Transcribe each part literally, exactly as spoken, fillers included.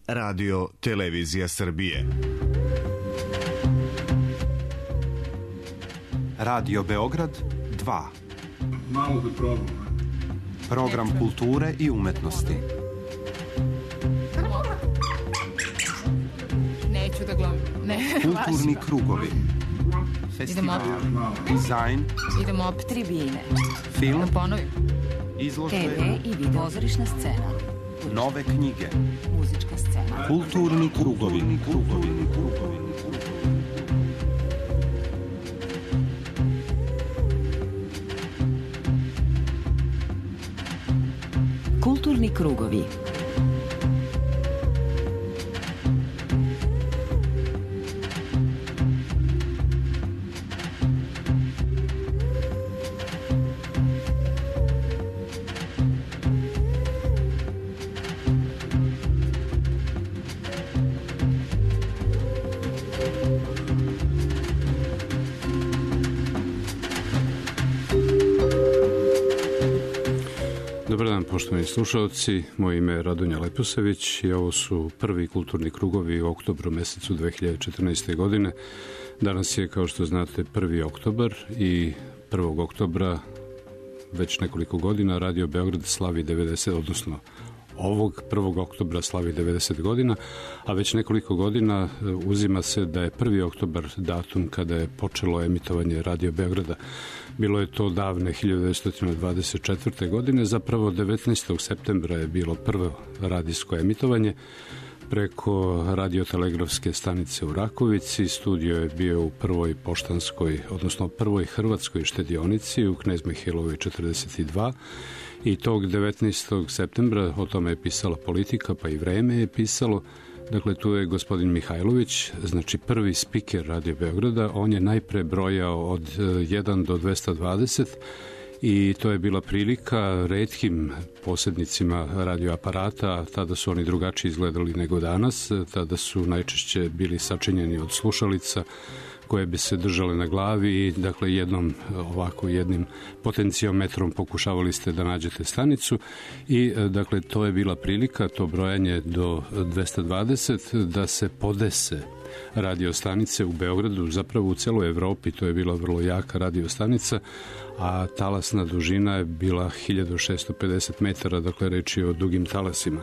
Radio Televizija Srbije. Radio Beograd dva. Malo da probam. Program kulture i umetnosti. Neću da glumim. Ne, kulturni krugovi. Festival, dizajn, idemo op tribine. Film, da ponovim. Izložbe, te ve i video, pozorišna scena, nove knjige, muzička scena, kulturni krugovi, krugovi, krugovi. Kulturni krugovi. Dobar dan, poštovani slušalci, moje ime je Radonja Leposević i ovo su prvi kulturni krugovi u oktobru mesecu dve hiljade četrnaeste. godine. Danas je, kao što znate, prvi oktobar i prvog oktobra već nekoliko godina Radio Beograd slavi devedeset, odnosno ovog prvog oktobra slavi devedeset godina, a već nekoliko godina uzima se da je prvi oktobar datum kada je počelo emitovanje Radio Beograda. Bilo je to davne hiljadu devetsto dvadeset četvrte. godine, zapravo devetnaestog septembra je bilo prvo radijsko emitovanje preko radiotelegrafske stanice u Rakovici. Studio je bio u prvoj poštanskoj, odnosno prvoj hrvatskoj štedionici u Knez Mihailovoj četrdeset dva. I tog devetnaestog septembra o tome je pisala Politika, pa i Vreme je pisalo. Dakle, tu je gospodin Mihajlović, znači prvi spiker Radio Beograda. On je najpre brojao od jedan do dvesta dvadeset i to je bila prilika retkim posjednicima radioaparata. Tada su oni drugačije izgledali nego danas. Tada su najčešće bili sačinjeni od slušalica koje bi se držale na glavi i dakle jednom ovako jednim potenciometrom pokušavali ste da nađete stanicu i dakle to je bila prilika, to brojanje do dvesta dvadeset, da se podese radio stanice u Beogradu, zapravo u celoj Evropi. To je bila vrlo jaka radio stanica, a talasna dužina je bila hiljadu šessto pedeset metara, dakle reč je o dugim talasima.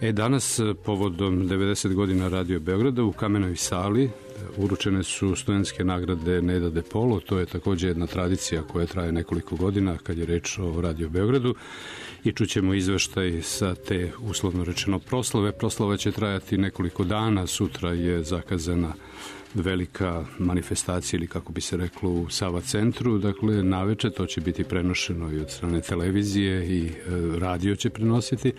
E, danas, povodom devedeset godina Radio Beograda, u Kamenoj sali uručene su studentske nagrade Neda De Polo. To je također jedna tradicija koja traje nekoliko godina kad je reč o Radio Beogradu i čućemo izveštaj sa te, uslovno rečeno, proslave. Proslava će trajati nekoliko dana. Sutra je zakazana velika manifestacija, ili kako bi se reklo, u Sava centru. Dakle, naveče to će biti prenošeno i od strane televizije i e, radio će prenositi,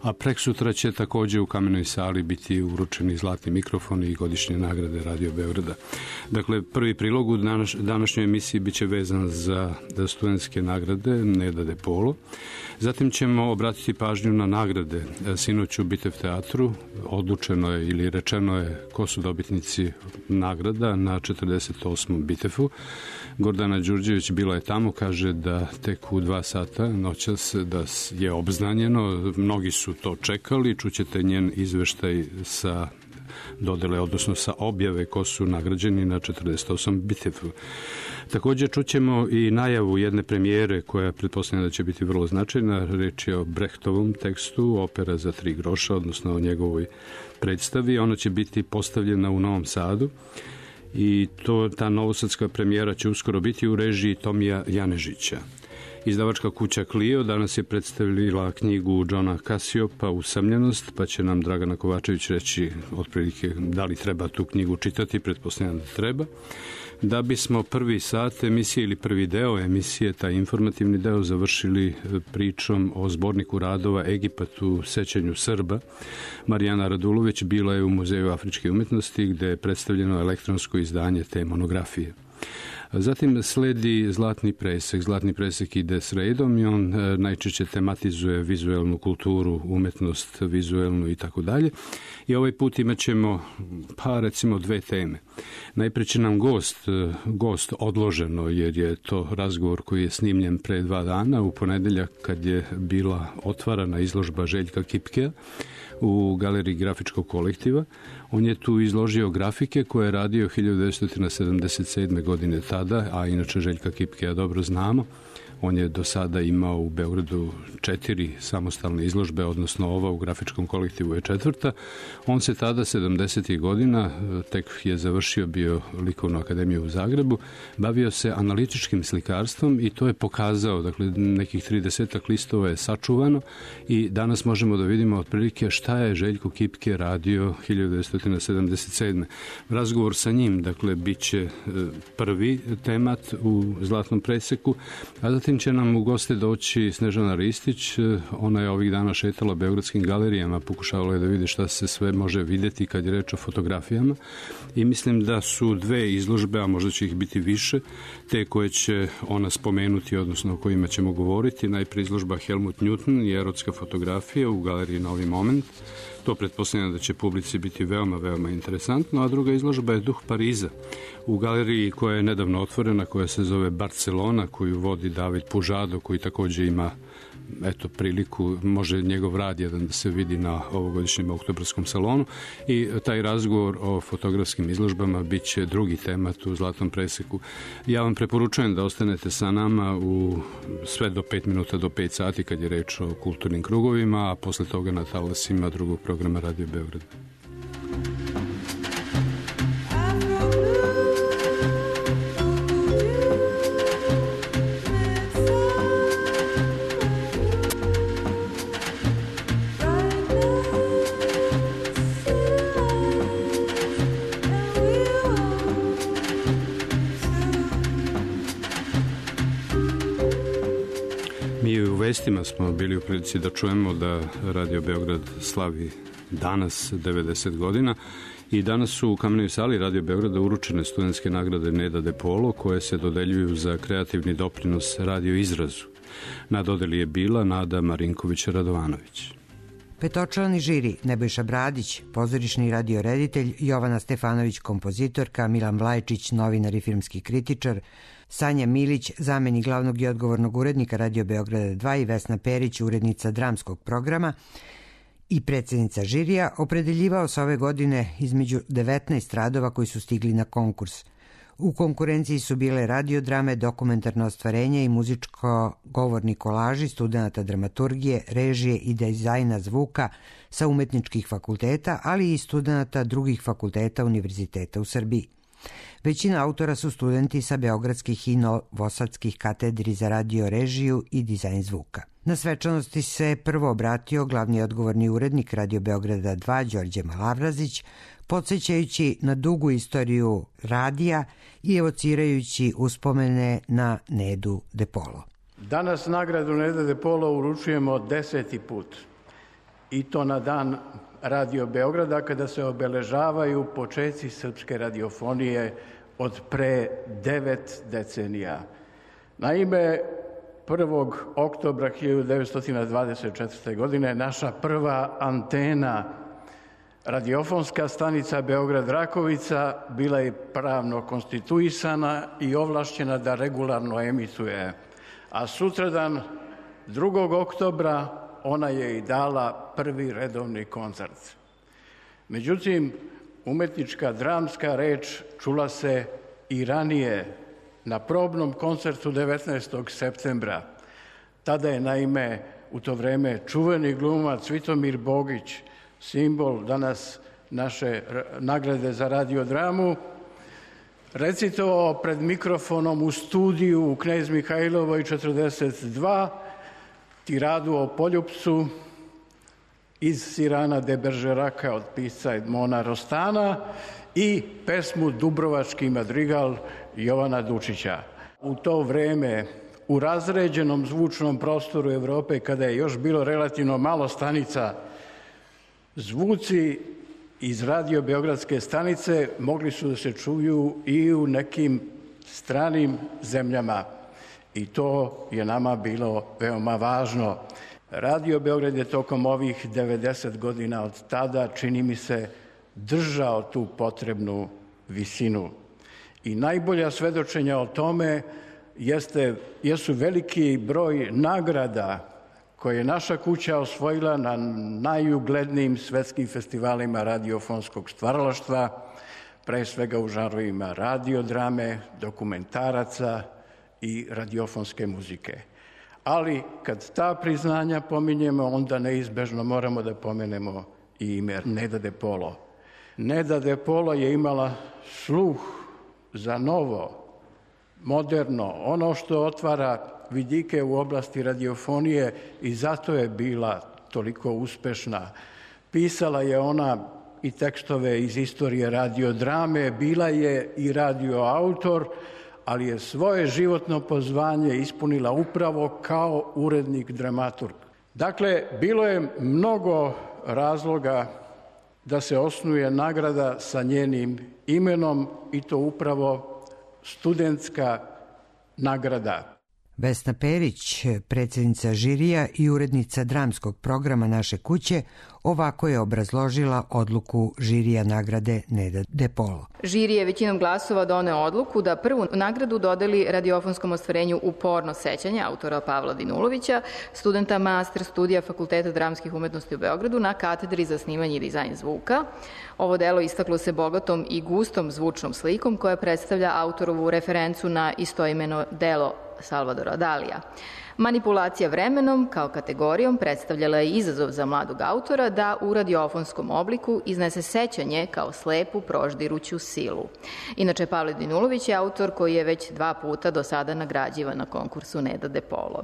a preksutra će također u Kamenoj sali biti uručeni zlatni mikrofoni i godišnje nagrade Radio Beograda. Dakle, prvi prilog u danas, današnjoj emisiji bit će vezan za studentske nagrade Neda De Polo. Zatim ćemo obratiti pažnju na nagrade. Sinoć u Bitev teatru odlučeno je ili rečeno je ko su dobitnici nagrada na četrdeset osmom Bitefu. Gordana Đurđević bila je tamo, kaže da tek u dva sata noćas da je obznanjeno. Mnogi su to čekali, čućete njen izveštaj sa dodele, odnosno sa objave ko su nagrađeni na četrdeset osmom Bitefu. Također čućemo i najavu jedne premijere koja pretpostavljena da će biti vrlo značajna. Reč je o Brehtovom tekstu, opera za tri groša, odnosno o njegovoj predstavi. Ona će biti postavljena u Novom Sadu i to, ta novosadska premijera će uskoro biti u režiji Tomija Janežića. Izdavačka kuća Clio danas je predstavila knjigu Johna Casiopa Usamljenost, pa će nam Dragana Kovačević reći otprilike da li treba tu knjigu čitati, pretpostavljam da treba. Da bismo prvi sat emisije ili prvi deo emisije, taj informativni deo, završili pričom o zborniku radova Egipat u sećanju Srba. Marijana Radulović bila je u Muzeju afričke umetnosti gde je predstavljeno elektronsko izdanje te monografije. Zatim sledi Zlatni presek. Zlatni presek ide s redom i on najčešće tematizuje vizuelnu kulturu, umetnost, vizuelnu i tako dalje. I ovaj put imat ćemo, pa recimo, dve teme. Najprije će nam gost, gost odloženo, jer je to razgovor koji je snimljen pre dva dana, u ponedeljak kad je bila otvarana izložba Željka Kipkea, u galeriji grafičkog kolektiva. On je tu izložio grafike koje je radio hiljadu devetsto sedamdeset sedme. godine tada, a inače Željka Kipke ja dobro znamo. On je do sada imao u Beogradu četiri samostalne izložbe, odnosno ova u grafičkom kolektivu je četvrta. On se tada, sedamdesetih godina, tek je završio bio Likovnu akademiju u Zagrebu, bavio se analitičkim slikarstvom i to je pokazao, dakle nekih tridesetak listova je sačuvano i danas možemo da vidimo otprilike šta je Željko Kipke radio hiljadu devetsto sedamdeset sedme. Razgovor sa njim, dakle, bit će prvi temat u Zlatnom preseku, a zatim će nam u goste doći Snežana Ristić. Ona je ovih dana šetala beogradskim galerijama, pokušavala je da vidi šta se sve može videti kad je reč o fotografijama i mislim da su dve izložbe, a možda će ih biti više, te koje će ona spomenuti, odnosno o kojima ćemo govoriti. Najprije izložba Helmut Newton i erotska fotografija u galeriji Novi moment. To pretpostavljam da će publici biti veoma, veoma interesantno, a druga izložba je Duh Pariza u galeriji koja je nedavno otvorena, koja se zove Barcelona, koju vodi David Pužado, koji također ima eto priliku, može njegov rad jedan da se vidi na ovogodišnjem oktobarskom salonu i taj razgovor o fotografskim izložbama bit će drugi temat u Zlatnom preseku. Ja vam preporučujem da ostanete sa nama u sve do pet minuta do pet sati kad je reč o kulturnim krugovima, a posle toga na talasima drugog programa Radio Beograd. Vestima smo bili u prilici da čujemo da Radio Beograd slavi danas devedeset godina i danas su u Kamenoj sali Radio Beograda uručene studentske nagrade Neda De Polo koje se dodeljuju za kreativni doprinos radio izrazu. Na dodeli je bila Nada Marinković-Radovanović. Petočlani žiri Nebojša Bradić, pozorišni radioreditelj, Jovana Stefanović, kompozitorka, Milan Vlajčić, novinar i filmski kritičar, Sanja Milić, zamenik glavnog i odgovornog urednika Radio Beograda dva i Vesna Perić, urednica dramskog programa i predsjednica žirija, opredeljivao se ove godine između devetnaest radova koji su stigli na konkurs. U konkurenciji su bile radiodrame, dokumentarno ostvarenje i muzičko-govorni kolaži studenta dramaturgije, režije i dizajna zvuka sa umetničkih fakulteta, ali i studenta drugih fakulteta univerziteta u Srbiji. Većina autora su studenti sa beogradskih i novosadskih katedri za radio režiju i dizajn zvuka. Na svečanosti se prvo obratio glavni odgovorni urednik Radio Beograda dva Đorđe Malavrazić, podsjećajući na dugu istoriju radija i evocirajući uspomene na Nedu De Polo. Danas nagradu Neda De Polo uručujemo deseti put. I to na dan Radio Beograda kada se obeležavaju počeci srpske radiofonije od pre devet decenija. Naime, prvog oktobra hiljadu devetsto dvadeset četvrte. godine naša prva antena, radiofonska stanica Beograd-Rakovica, bila je pravno konstituisana i ovlašćena da regularno emituje. A sutradan, drugog oktobra, ona je i dala prvi redovni koncert. Međutim, umetnička dramska reč čula se i ranije na probnom koncertu devetnaestog septembra. Tada je naime u to vreme čuveni glumac Vitomir Bogić, simbol danas naše nagrade za radiodramu, recitovao pred mikrofonom u studiju u Knez Mihajlovoj četrdeset dva tiradu o Poljupcu iz Sirana de Beržeraka od pisca Edmona Rostana i pesmu Dubrovački madrigal Jovana Dučića. U to vreme, u razređenom zvučnom prostoru Evrope, kada je još bilo relativno malo stanica, zvuci iz Radio Beogradske stanice mogli su da se čuju i u nekim stranim zemljama. I to je nama bilo veoma važno. Radio Beograd je tokom ovih devedeset godina od tada, čini mi se, držao tu potrebnu visinu. I najbolja svedočenja o tome jeste, jesu veliki broj nagrada koje je naša kuća osvojila na najuglednijim svetskim festivalima radiofonskog stvaralaštva, pre svega u žanrovima radiodrame, dokumentaraca i radiofonske muzike. Ali kad ta priznanja pominjemo, onda neizbežno moramo da pomenemo i ime Neda De Polo. Neda De Polo je imala sluh za novo, moderno, ono što otvara vidike u oblasti radiofonije i zato je bila toliko uspešna. Pisala je ona i tekstove iz istorije radiodrame, bila je i radioautor, ali je svoje životno pozvanje ispunila upravo kao urednik dramaturg. Dakle, bilo je mnogo razloga da se osnuje nagrada sa njenim imenom i to upravo studentska nagrada. Vesna Perić, predsjednica žirija i urednica dramskog programa Naše kuće, ovako je obrazložila odluku žirija nagrade Neda De Polo. Žiri je većinom glasova doneo odluku da prvu nagradu dodeli radiofonskom ostvarenju Uporno sećanje autora Pavla Dinulovića, studenta master studija Fakulteta dramskih umetnosti u Beogradu na katedri za snimanje i dizajn zvuka. Ovo delo istaklo se bogatom i gustom zvučnom slikom koja predstavlja autorovu referencu na istoimeno delo Salvadora Dalija. Manipulacija vremenom kao kategorijom predstavljala je izazov za mladog autora da u radiofonskom obliku iznese sećanje kao slepu proždiruću silu. Inače, Pavle Dinulović je autor koji je već dva puta do sada nagrađivan na konkursu Neda De Polo.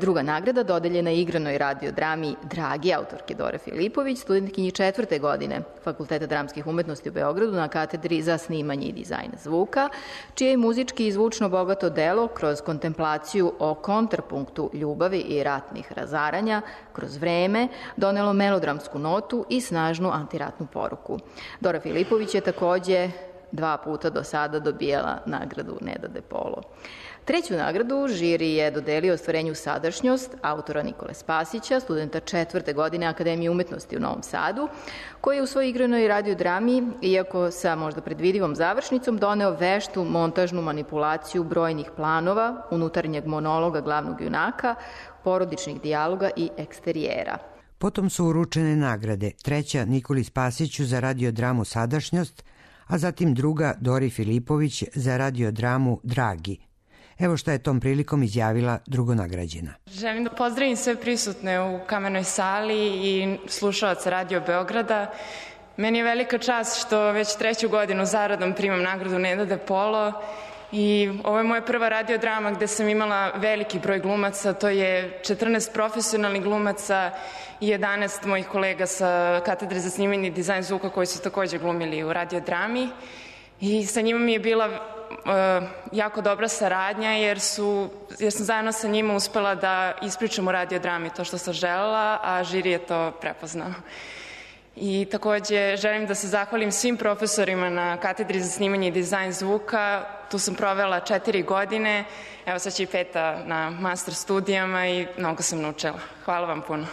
Druga nagrada dodeljena je igranoj radiodrami Dragi autorke Dore Filipović, studentkinji četvrte godine Fakulteta dramskih umetnosti u Beogradu na katedri za snimanje i dizajn zvuka, čije je muzički i zvučno bogato delo kroz kontemplaciju o kontrapunktu ljubavi i ratnih razaranja kroz vreme donelo melodramsku notu i snažnu antiratnu poruku. Dora Filipović je takođe dva puta do sada dobijala nagradu Neda De Polo. Treću nagradu žiri je dodelio ostvarenju Sadašnjost autora Nikole Spasića, studenta četvrte godine Akademije umetnosti u Novom Sadu, koji je u svojoj igranoj radiodrami, iako sa možda predvidivom završnicom, doneo veštu montažnu manipulaciju brojnih planova, unutarnjeg monologa glavnog junaka, porodičnih dijaloga i eksterijera. Potom su uručene nagrade, treća Nikoli Spasiću za radiodramu Sadašnjost, a zatim druga Dori Filipović za radiodramu Dragi. Evo šta je tom prilikom izjavila drugonagrađena. Želim da pozdravim sve prisutne u Kamenoj sali i slušalaca Radio Beograda. Meni je velika čast što već treću godinu zaradom primam nagradu Neda De Polo i ovo je moja prva radiodrama gde sam imala veliki broj glumaca, to je četrnaest profesionalnih glumaca i jedanaest mojih kolega sa katedre za snimanje i dizajn zvuka koji su takođe glumili u radiodrami i sa njima mi je bila Uh, jako dobra saradnja jer, su, jer sam zajedno sa njima uspela da ispričam u radiodrami to što sam želela, a žiri je to prepoznao. I takođe želim da se zahvalim svim profesorima na katedri za snimanje i dizajn zvuka. Tu sam provela četiri godine, evo sad će i peta na master studijama i mnogo sam naučila. Hvala vam puno.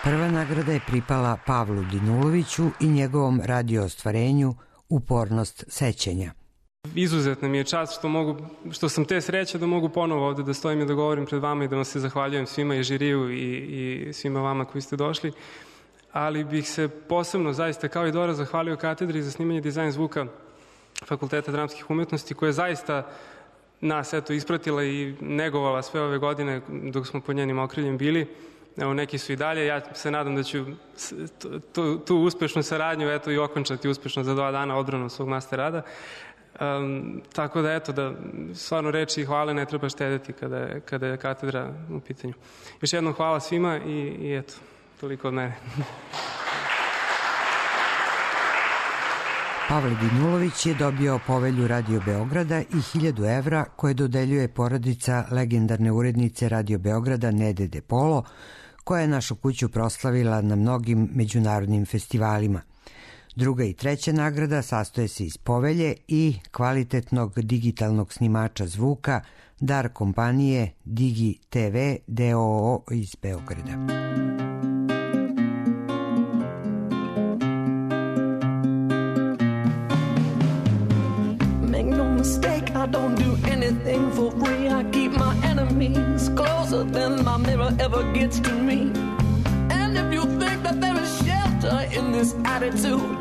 Prva nagrada je pripala Pavlu Dinuloviću i njegovom radio ostvarenju Upornost sećanja. Izuzetna mi je čast što, mogu, što sam te sreće da mogu ponovo ovde da stojim i da govorim pred vama i da vam se zahvaljujem svima i žiriju i, i svima vama koji ste došli. Ali bih se posebno, zaista kao i Dora, zahvalio katedri za snimanje dizajn zvuka Fakulteta dramskih umetnosti koja je zaista nas eto ispratila i negovala sve ove godine dok smo pod njenim okriljem bili. Evo, neki su i dalje. Ja se nadam da ću tu, tu uspešnu saradnju eto, i okončati uspešno za dva dana odbranom svog master rada. Um, tako da, eto, da stvarno reči i hvale ne treba štedeti kada je, kada je katedra u pitanju. Još jednom hvala svima i, i eto, toliko od mene. Pavle Dinulović je dobio povelju Radio Beograda i hiljadu evra koje dodeljuje porodica legendarne urednice Radio Beograda Nede De Polo, koja je našu kuću proslavila na mnogim međunarodnim festivalima. Druga i treća nagrada sastoje se iz povelje i kvalitetnog digitalnog snimača zvuka dar kompanije Digi te ve d o o iz Beograda. Make no mistake, I don't do anything for free. I keep my enemies memories closer than my mirror ever gets to me. And if you think that there is shelter in this attitude,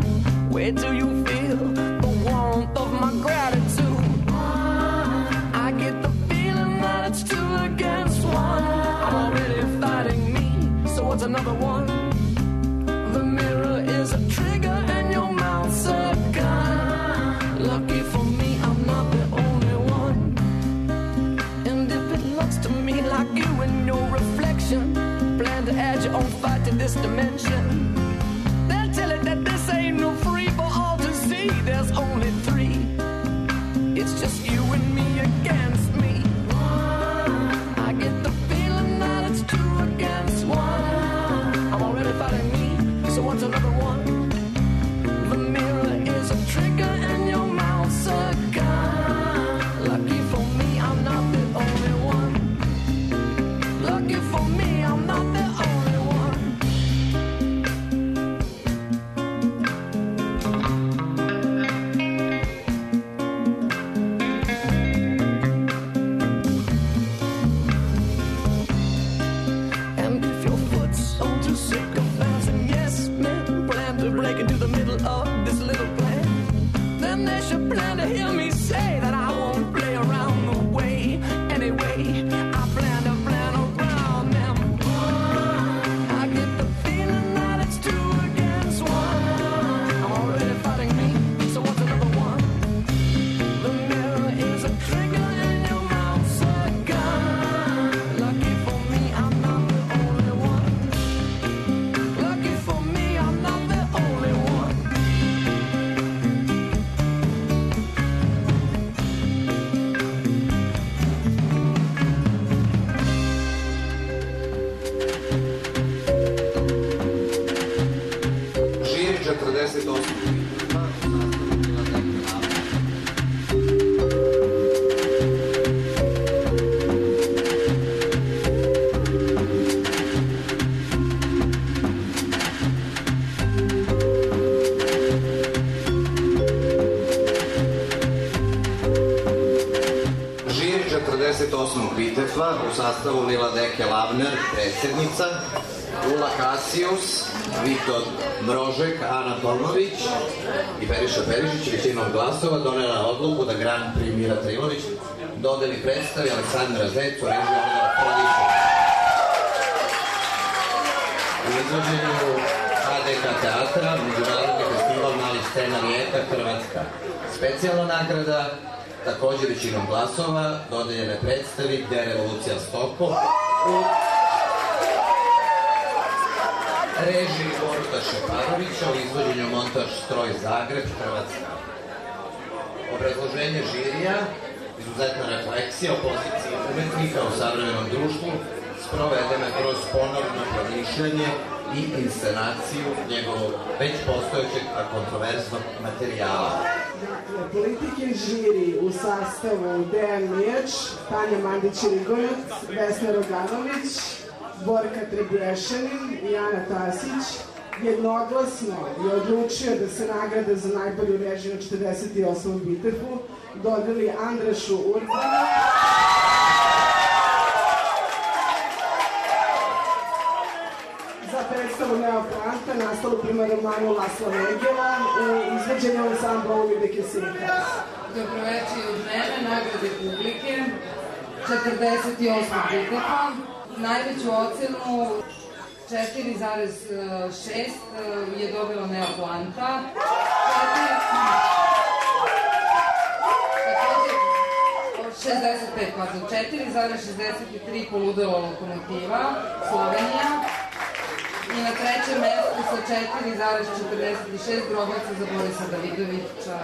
where do you feel the warmth of my gratitude? I get the feeling that it's two against one. I'm already fighting me, so what's another one? The mirror is a trigger and your mouth's a gun. Lucky for me, I'm not the only one. And if it looks to me like you and your reflection plan to add your own fight to this dimension, then tell it that this ain't no free for all to see. There's only three. It's just you and me against me. I get the feeling that it's two against one. I'm already fighting me, so what's another one? The mirror is a trigger and your mouth's a gun. Lucky for me, I'm not the only one. Lucky for me, I'm not the only one. And if your foot's on too sick of bouncing, yes, men plan to break into the middle of this little plan, then they should plan to hear me say that I won't play around the way. Anyway, I plan to plan around them. I get the feeling that it's two against one. I'm already fighting me, so what's another one? The mirror is a trigger and your mouth's a gun. Lucky for me, I'm not the only one. Lucky for me, I'm not the only one. Žiri četrdeset osam. Žiri četrdeset osmog Vitefla u sastavu Lila Deke Lavner, predsjednica, Ula Kasijus, Vito Mrožek, Ana Tolmović i Periša Perišić većinom glasova donela odluku da Grand Prix Mira Trilović dodeli predstavi Aleksandra Zec u režiji Olivera Frodića. U izvođenju H D K teatra, Međunarodni festival malih scena Rijeka, Hrvatska. Specijalna nagrada, također većinom glasova, dodeljene predstavi Gde revolucija Stoko u režiji Boruta Šeparovića, u izvođenju montaž Stroj Zagreb, Hrvatska. Obrazloženje žirija, izuzetna refleksija o poziciji umetnika u savremenom društvu, sprovedena kroz ponovno promišljanje i inscenaciju njegovog već postojećeg, a kontroverznog materijala. Dakle, politike žiri u sastavu Dejan Mijač, Tanja Mandić-Rigojac, Vesna Roganović, Borka Trebješanin i Ana Tasić jednoglasno je odlučio da se nagrada za najbolju režiju na četrdeset osmom Vitefu dodeli Andrašu Urbanu za predstavu Neoplanta, nastalu prema romanu Lasla Vegela u izveđenju ansambla Uvide Kesinka. Dobroveče od mene, nagrade publike, četrdeset osmog Vitefa. Najveću ocenu četiri zarez šest je dobila Neoplanta. šezdeset pet, pardon, četiri zarez šezdeset tri Poludela lokomotiva, Slovenija. I na trećem mestu sa četiri zarez četrdeset šest Grobaca za Borisa Davidovića.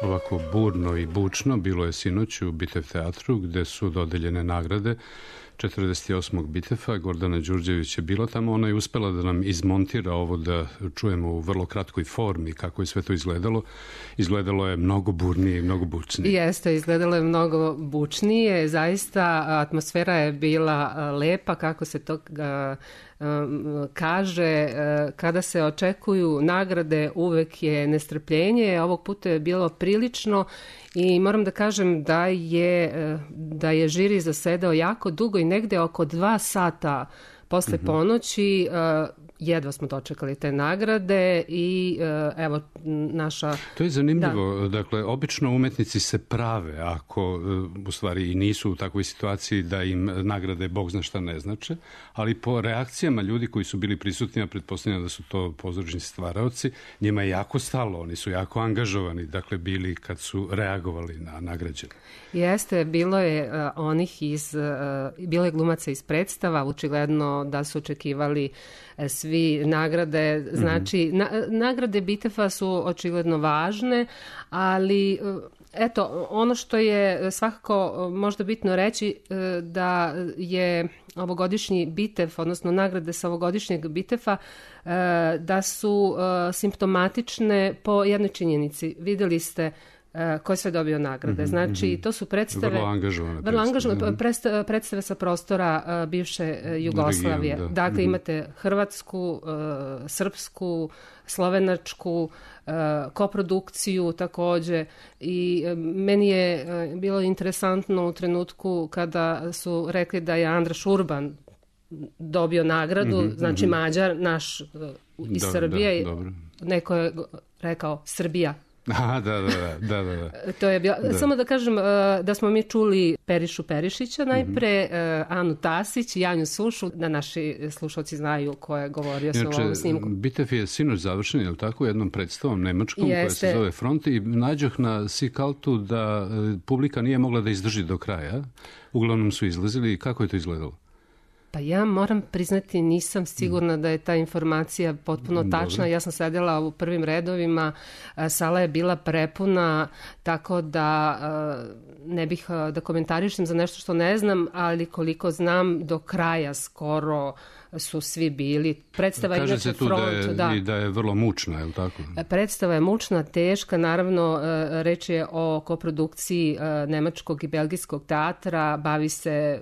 Ovako burno i bučno bilo je sinoć u Bitev teatru gde su dodeljene nagrade četrdeset osmog Bitefa. Gordana Đurđević je bila tamo, ona je uspela da nam izmontira ovo da čujemo u vrlo kratkoj formi kako je sve to izgledalo. Izgledalo je mnogo burnije i mnogo bučnije. Jeste, izgledalo je mnogo bučnije, zaista atmosfera je bila lepa kako se to kaže kada se očekuju nagrade uvek je nestrpljenje. Ovog puta je bilo prilično i moram da kažem da je, da je žiri zasedao jako dugo i negde oko dva sata posle ponoći. Jedva smo dočekali te nagrade i evo naša... To je zanimljivo. Da. Dakle, obično umetnici se prave ako u stvari i nisu u takvoj situaciji da im nagrade Bog zna šta ne znače, ali po reakcijama ljudi koji su bili prisutni, a pretpostavljam da su to pozorišni stvaraoci, njima je jako stalo, oni su jako angažovani, dakle bili kad su reagovali na nagrađene. Jeste, bilo je uh, onih iz, uh, bilo je glumaca iz predstava, očigledno da su očekivali uh, svi nagrade, znači mm-hmm. na, nagrade Bitefa su očigledno važne, ali uh, eto, ono što je svakako možda bitno reći uh, da je ovogodišnji Bitev, odnosno nagrade sa ovogodišnjeg Bitefa, uh, da su uh, simptomatične po jednoj činjenici. Videli ste ko je sve dobio nagrade. Znači, to su predstave... Vrlo angažovane vrlo angažovane predstave. predstave sa prostora uh, bivše uh, Jugoslavije. Region, da. Dakle, mm-hmm. imate hrvatsku, uh, srpsku, slovenačku, uh, koprodukciju takođe. I uh, meni je uh, bilo interesantno u trenutku kada su rekli da je Andraš Urban dobio nagradu, mm-hmm, znači mm-hmm. Mađar, naš uh, iz da, Srbije. Da, dobro. Neko je rekao Srbija. Aha, da, da, da, da, da. To je bilo, da. Samo da kažem da smo mi čuli Perišu Perišića najpre, mm-hmm. Anu Tasić i Janju Sušu, da naši slušalci znaju ko je govorio s ovom snimku. Bitev je sinoć završen, je li tako, jednom predstavom nemačkom Jeste. koja se zove Front i nađoh na Sikaltu da publika nije mogla da izdrži do kraja. Uglavnom su izlazili. Kako je to izgledalo? Pa ja moram priznati, nisam sigurna da je ta informacija potpuno tačna. Dobre. Ja sam sedela u prvim redovima, sala je bila prepuna, tako da ne bih da komentarišem za nešto što ne znam, ali koliko znam, do kraja skoro su svi bili. Predstava Kaže se tu front, da, je, da. I da je vrlo mučna, je li tako? Predstava je mučna, teška, naravno reč je o koprodukciji nemačkog i belgijskog teatra, bavi se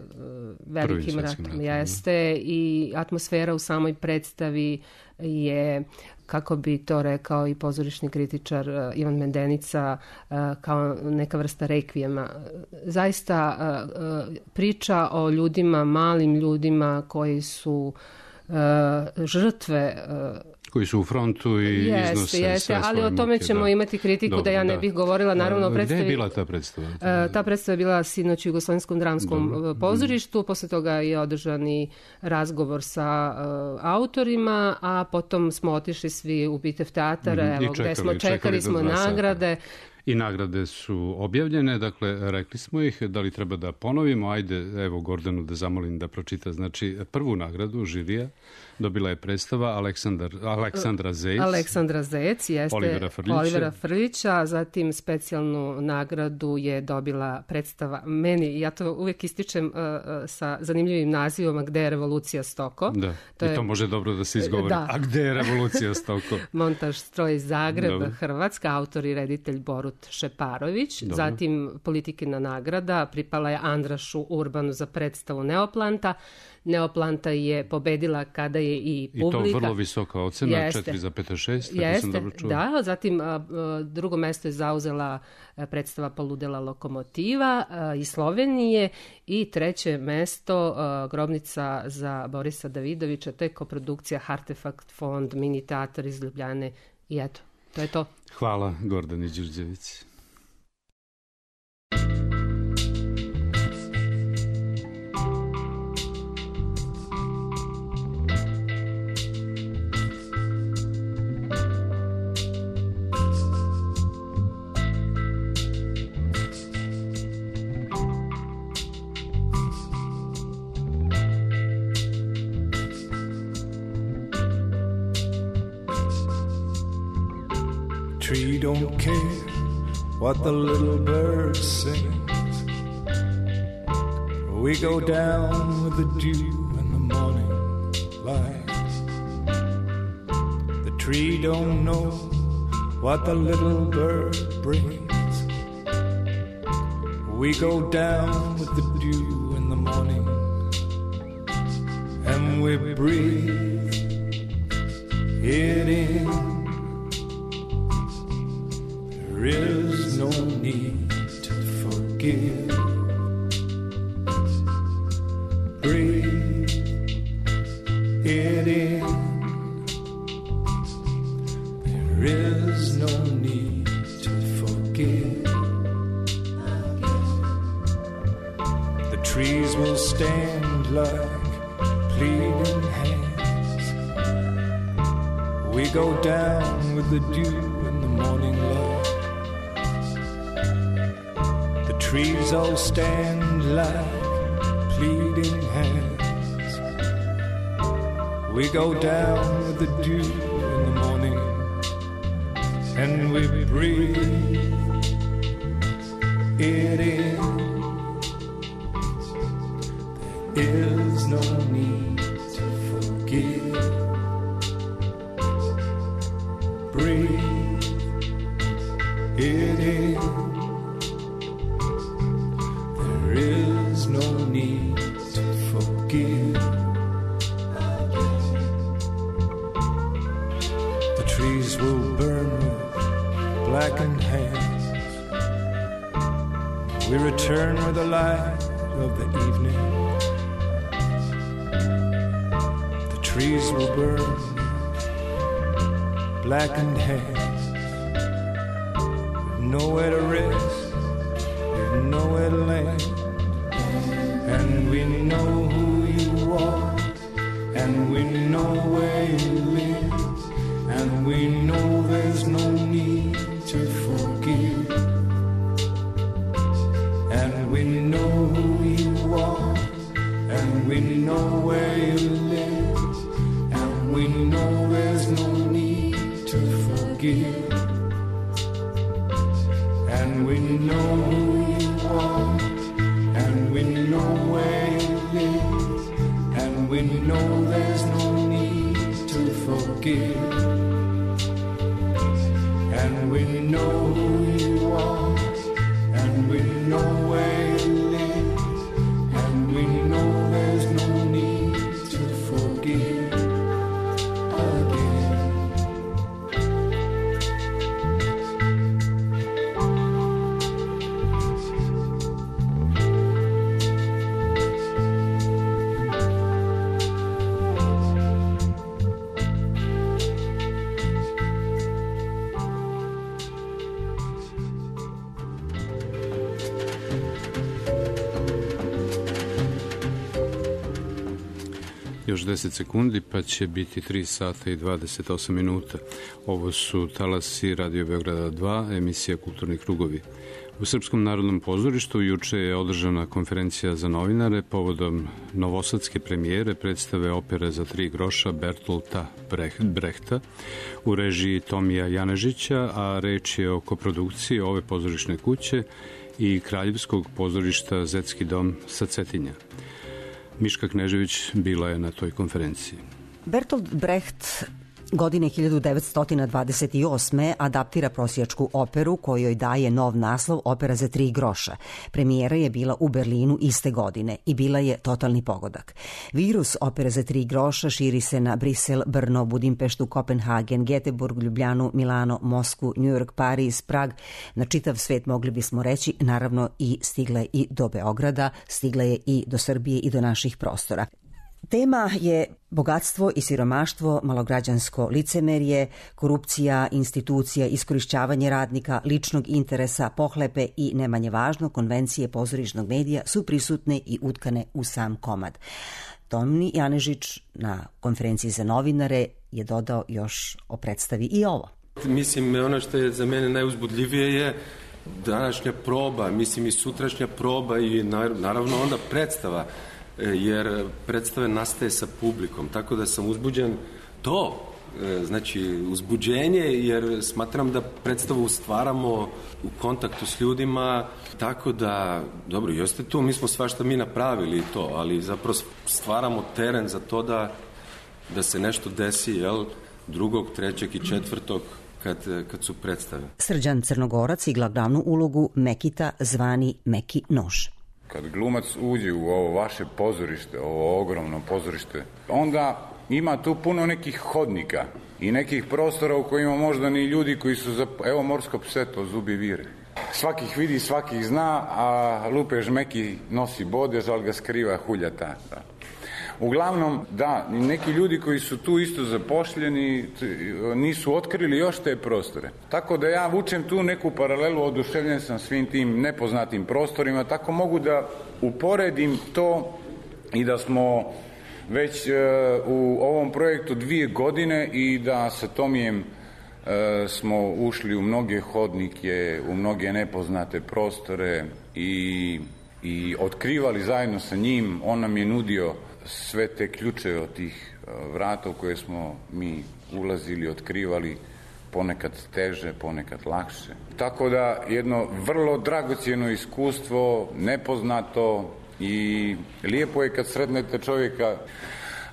velikim ratom, jeste, i atmosfera u samoj predstavi je, kako bi to rekao i pozorišni kritičar Ivan Mendenica, kao neka vrsta rekvijema. Zaista priča o ljudima, malim ljudima koji su žrtve, koji su u frontu i jeste, iznose jeste, sve svoje ali o tome muke, ćemo da. imati kritiku. Dobro, da ja ne bih govorila. Naravno, da, predstavi, gde je bila ta predstava? Uh, ta predstava je bila sinoć u Jugoslovenskom dramskom Dobro. pozorištu, posle toga je održan i razgovor sa uh, autorima, a potom smo otišli svi u Bitev teatar, mm-hmm. evo, čekali, gde smo čekali, čekali smo nagrade. Sata. I nagrade su objavljene, dakle, rekli smo ih, da li treba da ponovimo? Ajde, evo, Gordanu da zamolim da pročita. Znači, prvu nagradu žirija dobila je predstava Aleksandar, Aleksandra Zec. Aleksandra Zec, jeste. Olivera Frljića. Olivera Frljića, zatim specijalnu nagradu je dobila predstava meni, ja to uvijek ističem uh, sa zanimljivim nazivom, Gde je revolucija Stoko. Da, to i je, to može dobro da se izgovori. Da. A gde je revolucija Stoko? Montaž stroj Zagreb, Dobro. Hrvatska, autor i reditelj Borut Šeparović. Dobro. Zatim Politikina nagrada pripala je Andrašu Urbanu za predstavu Neoplanta. Neoplanta je pobedila kada je i publika. I to vrlo visoka ocena, četiri zarez šest. Jeste, da. Zatim drugo mesto je zauzela predstava Poludela lokomotiva iz Slovenije i treće mesto Grobnica za Borisa Davidovića. To je koprodukcija Artefakt fond, mini teatar iz Ljubljane i eto, to je to. Hvala, Gordani Đurđević. Tree don't care what the little bird sings. We go down with the dew in the morning light. The tree don't know what the little bird brings. We go down with the dew in the morning, and we breathe it in, there is no need to forgive. Breathe it in, there is no need to forgive. The trees will stand like pleading hands. We go down with the dew in the morning light. The trees all stand like pleading hands. We go down with the dew in the morning, and we breathe it in. There is no need to forgive. Breathe it in. There is no need to forgive. The trees will burn with blackened hands. We return with the light of the evening. The trees will burn with blackened hands. We've nowhere to rest, we've nowhere to land. And we know who you are, and we know where you live, and we know there's no need to forgive. And we know who you are, and we know where you live, and we know there's no need to forgive. And we know who you are, and we know where you live, and we know there's no need to forgive. And we know who you are, and we know where you live, and we know there's no need to forgive again. Još deset sekundi pa će biti tri sata i dvadeset osam minuta. Ovo su talasi Radio Beograda dva, emisija Kulturni krugovi. U Srpskom narodnom pozorištu juče je održana konferencija za novinare povodom novosadske premijere predstave opere za tri groša Bertolta Brehta u režiji Tomija Janežića, a reč je o koprodukciji ove pozorišne kuće i Kraljevskog pozorišta Zetski dom sa Cetinja. Miška Knežević bila je na toj konferenciji. Bertolt Brecht godine hiljadu devetsto dvadeset osme adaptira prosjačku operu kojoj daje nov naslov Opera za tri groša. Premijera je bila u Berlinu iste godine i bila je totalni pogodak. Virus Opere za tri groša širi se na Brisel, Brno, Budimpeštu, Kopenhagen, Geteborg, Ljubljanu, Milano, Moskvu, New York, Pariz, Prag, na čitav svet mogli bismo reći, naravno i stigla je i do Beograda, stigla je i do Srbije i do naših prostora. Tema je bogatstvo i siromaštvo, malograđansko licemerje, korupcija institucija, iskorišćavanje radnika, ličnog interesa, pohlepe i, ne manje važno, konvencije pozorišnog medija su prisutne i utkane u sam komad. Tomi Janežić na konferenciji za novinare je dodao još o predstavi i ovo. Mislim, ono što je za mene najuzbudljivije je današnja proba, mislim i sutrašnja proba i naravno onda predstava, jer predstave nastaje sa publikom, tako da sam uzbuđen to, znači uzbuđenje, jer smatram da predstavu stvaramo u kontaktu s ljudima, tako da, dobro, jeste tu, mi smo svašta mi napravili to, ali zapravo stvaramo teren za to da, da se nešto desi, jel, drugog, trećeg i četvrtog, kad, kad su predstave. Srđan Crnogorac igla glavnu ulogu Mekita zvani Meki Nož. kad glumac uđe u ovo vaše pozorište, ovo ogromno pozorište, onda ima tu puno nekih hodnika i nekih prostora u kojima možda ni ljudi koji su za... Evo morsko pseto, zubi vire. Svakih vidi, svakih zna, a lupež meki nosi bode, žal ga skriva huljata. Da. Uglavnom, da, neki ljudi koji su tu isto zapošljeni nisu otkrili još te prostore. Tako da ja vučem tu neku paralelu, oduševljen sam svim tim nepoznatim prostorima, tako mogu da uporedim to i da smo već u ovom projektu dvije godine i da sa Tomijem smo ušli u mnoge hodnike, u mnoge nepoznate prostore i, i otkrivali zajedno sa njim. On nam je nudio sve te ključe od tih vrata u koje smo mi ulazili, otkrivali, ponekad teže, ponekad lakše. Tako da jedno vrlo dragocijeno iskustvo, nepoznato i lijepo je kad sretnete čovjeka,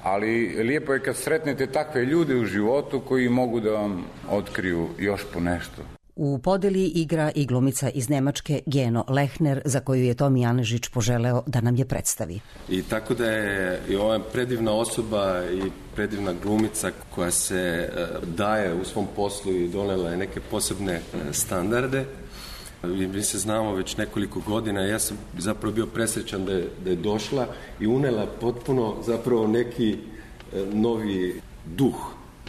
ali lijepo je kad sretnete takve ljude u životu koji mogu da vam otkriju još po nešto. U podeli igra i glumica iz Nemačke Geno Lehner, za koju je Tomi Janežić poželeo da nam je predstavi. I tako da je i ova predivna osoba i predivna glumica koja se daje u svom poslu i donela je neke posebne standarde. Mi se znamo već nekoliko godina, ja sam zapravo bio presrećan da je, da je došla i unela potpuno zapravo neki novi duh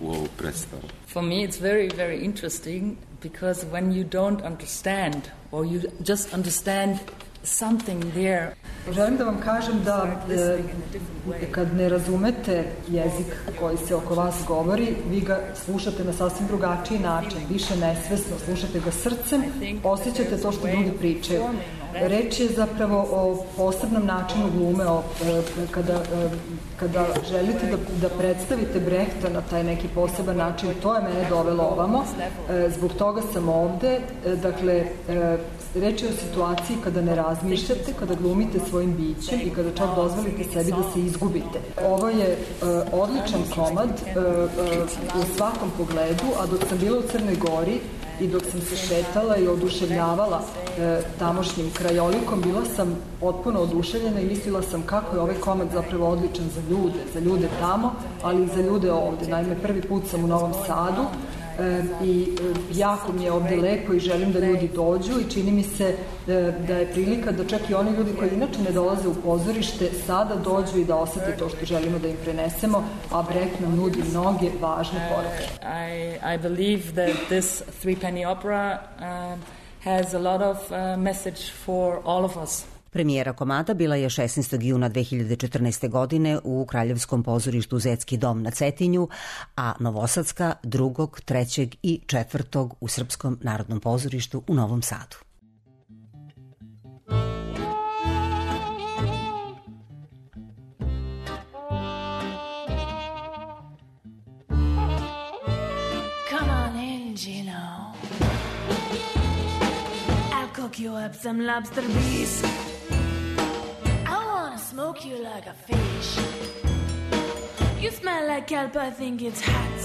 u ovu predstavu. For me it's very, very interesting because when you don't understand or you just understand something there. Želim da vam kažem da e, kad ne razumete jezik koji se oko vas govori, vi ga slušate na sasvim drugačiji način, više nesvesno, slušate ga srcem, osjećate to što ljudi pričaju. Reč je zapravo o posebnom načinu glume, o, e, kada, e, kada želite da, da predstavite Brehta na taj neki poseban način, to je mene dovelo ovamo, e, zbog toga sam ovde, e, dakle, e, reč je o situaciji kada ne razmišljate, kada glumite svojim bićem i kada čak dozvolite sebi da se izgubite. Ovo je uh, odličan komad uh, uh, u svakom pogledu, a dok sam bila u Crnoj Gori i dok sam se šetala i oduševljavala uh, tamošnjim krajolikom, bila sam potpuno oduševljena i mislila sam kako je ovaj komad zapravo odličan za ljude, za ljude tamo, ali i za ljude ovde. Naime, prvi put sam u Novom Sadu, E, i e, jako mi je ovde lepo i želim da ljudi dođu i čini mi se e, da je prilika da čak i oni ljudi koji inače ne dolaze u pozorište sada dođu i da osete to što želimo da im prenesemo, a Brecht nam nudi mnoge važne poruke. I, I believe that this three penny opera uh, has a lot of uh, message for all of us. Premijera komada bila je šesnaestog juna dve hiljade četrnaeste. godine u Kraljevskom pozorištu Zetski dom na Cetinju, a Novosadska drugog, trećeg i četvrtog u Srpskom narodnom pozorištu u Novom Sadu. Come on in, Gino. I'll cook you up some lobster beef. Smoke you like a fish. You smell like kelp, I think it's hot.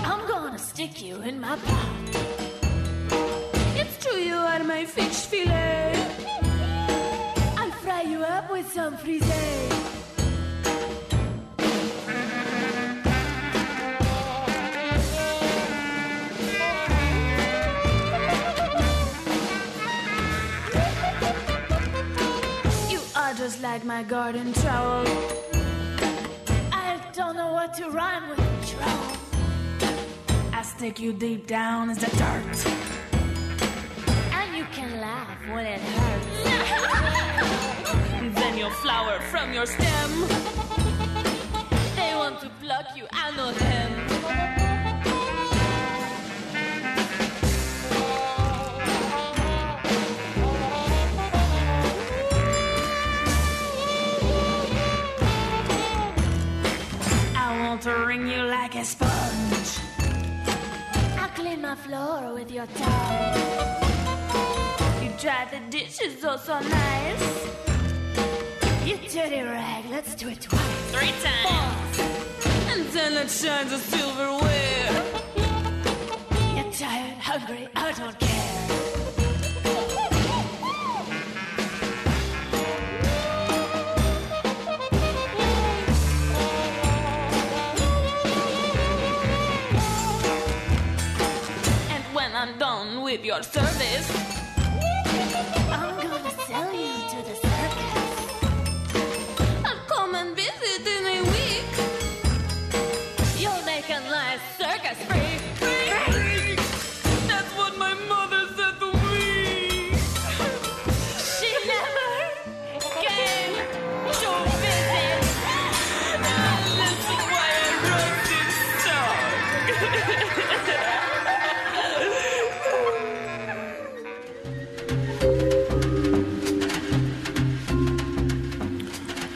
I'm gonna stick you in my pot. It's true you are my fish fillet. I'll fry you up with some frisee. Just like my garden trowel. I don't know what to rhyme with trowel. I stick you deep down as the dirt, and you can laugh when it hurts. Then you'll flower from your stem. They want to pluck you, I know them. To wring you like a sponge. I'll clean my floor with your tongue. You dry the dishes oh so nice. You dirty rag, let's do it twice. Three times. Four. And then it shines a silverware. You're tired, hungry, I don't care. with your service. I'm gonna sell you to the circus. I'll come and visit in a week. You'll make a nice circus freak. Freak! That's what my mother said to me. She never came to visit. And this is why I wrote this song.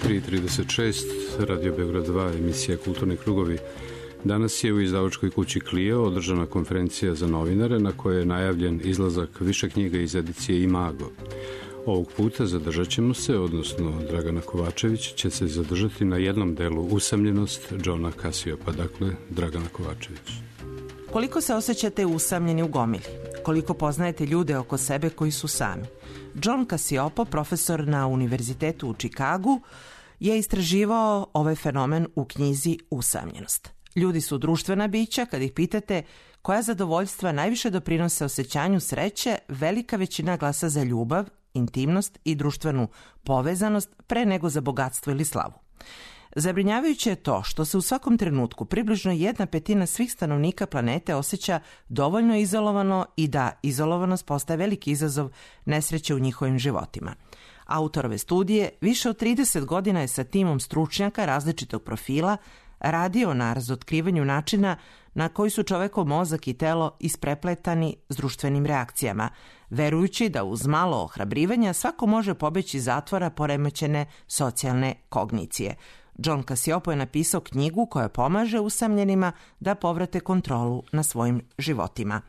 tri trideset šest, Radio Beograd dva, emisija Kulturni krugovi. Danas je u izdavačkoj kući Clio održana konferencija za novinare na kojoj je najavljen izlazak više knjiga iz edicije Imago. Ovog puta zadržat ćemo se, odnosno Dragana Kovačević će se zadržati na jednom delu Usamljenost Johna Cassiopa, dakle Dragana Kovačević. Koliko se osjećate usamljeni u gomili? Koliko poznajete ljude oko sebe koji su sami? John Cassiopo, profesor na Univerzitetu u Čikagu, je istraživao ovaj fenomen u knjizi Usamljenost. Ljudi su društvena bića, kad ih pitate koja zadovoljstva najviše doprinose osjećanju sreće, velika većina glasa za ljubav, intimnost i društvenu povezanost pre nego za bogatstvo ili slavu. Zabrinjavajuće je to što se u svakom trenutku približno jedna petina svih stanovnika planete osjeća dovoljno izolovano i da izolovanost postaje veliki izazov nesreće u njihovim životima. Autor ove studije više od trideset godina je sa timom stručnjaka različitog profila radio na razotkrivanju načina na koji su čovekov mozak i telo isprepletani s društvenim reakcijama, verujući da uz malo ohrabrivanja svako može pobeći iz zatvora poremećene socijalne kognicije. John Cassiopo je napisao knjigu koja pomaže usamljenima da povrate kontrolu na svojim životima.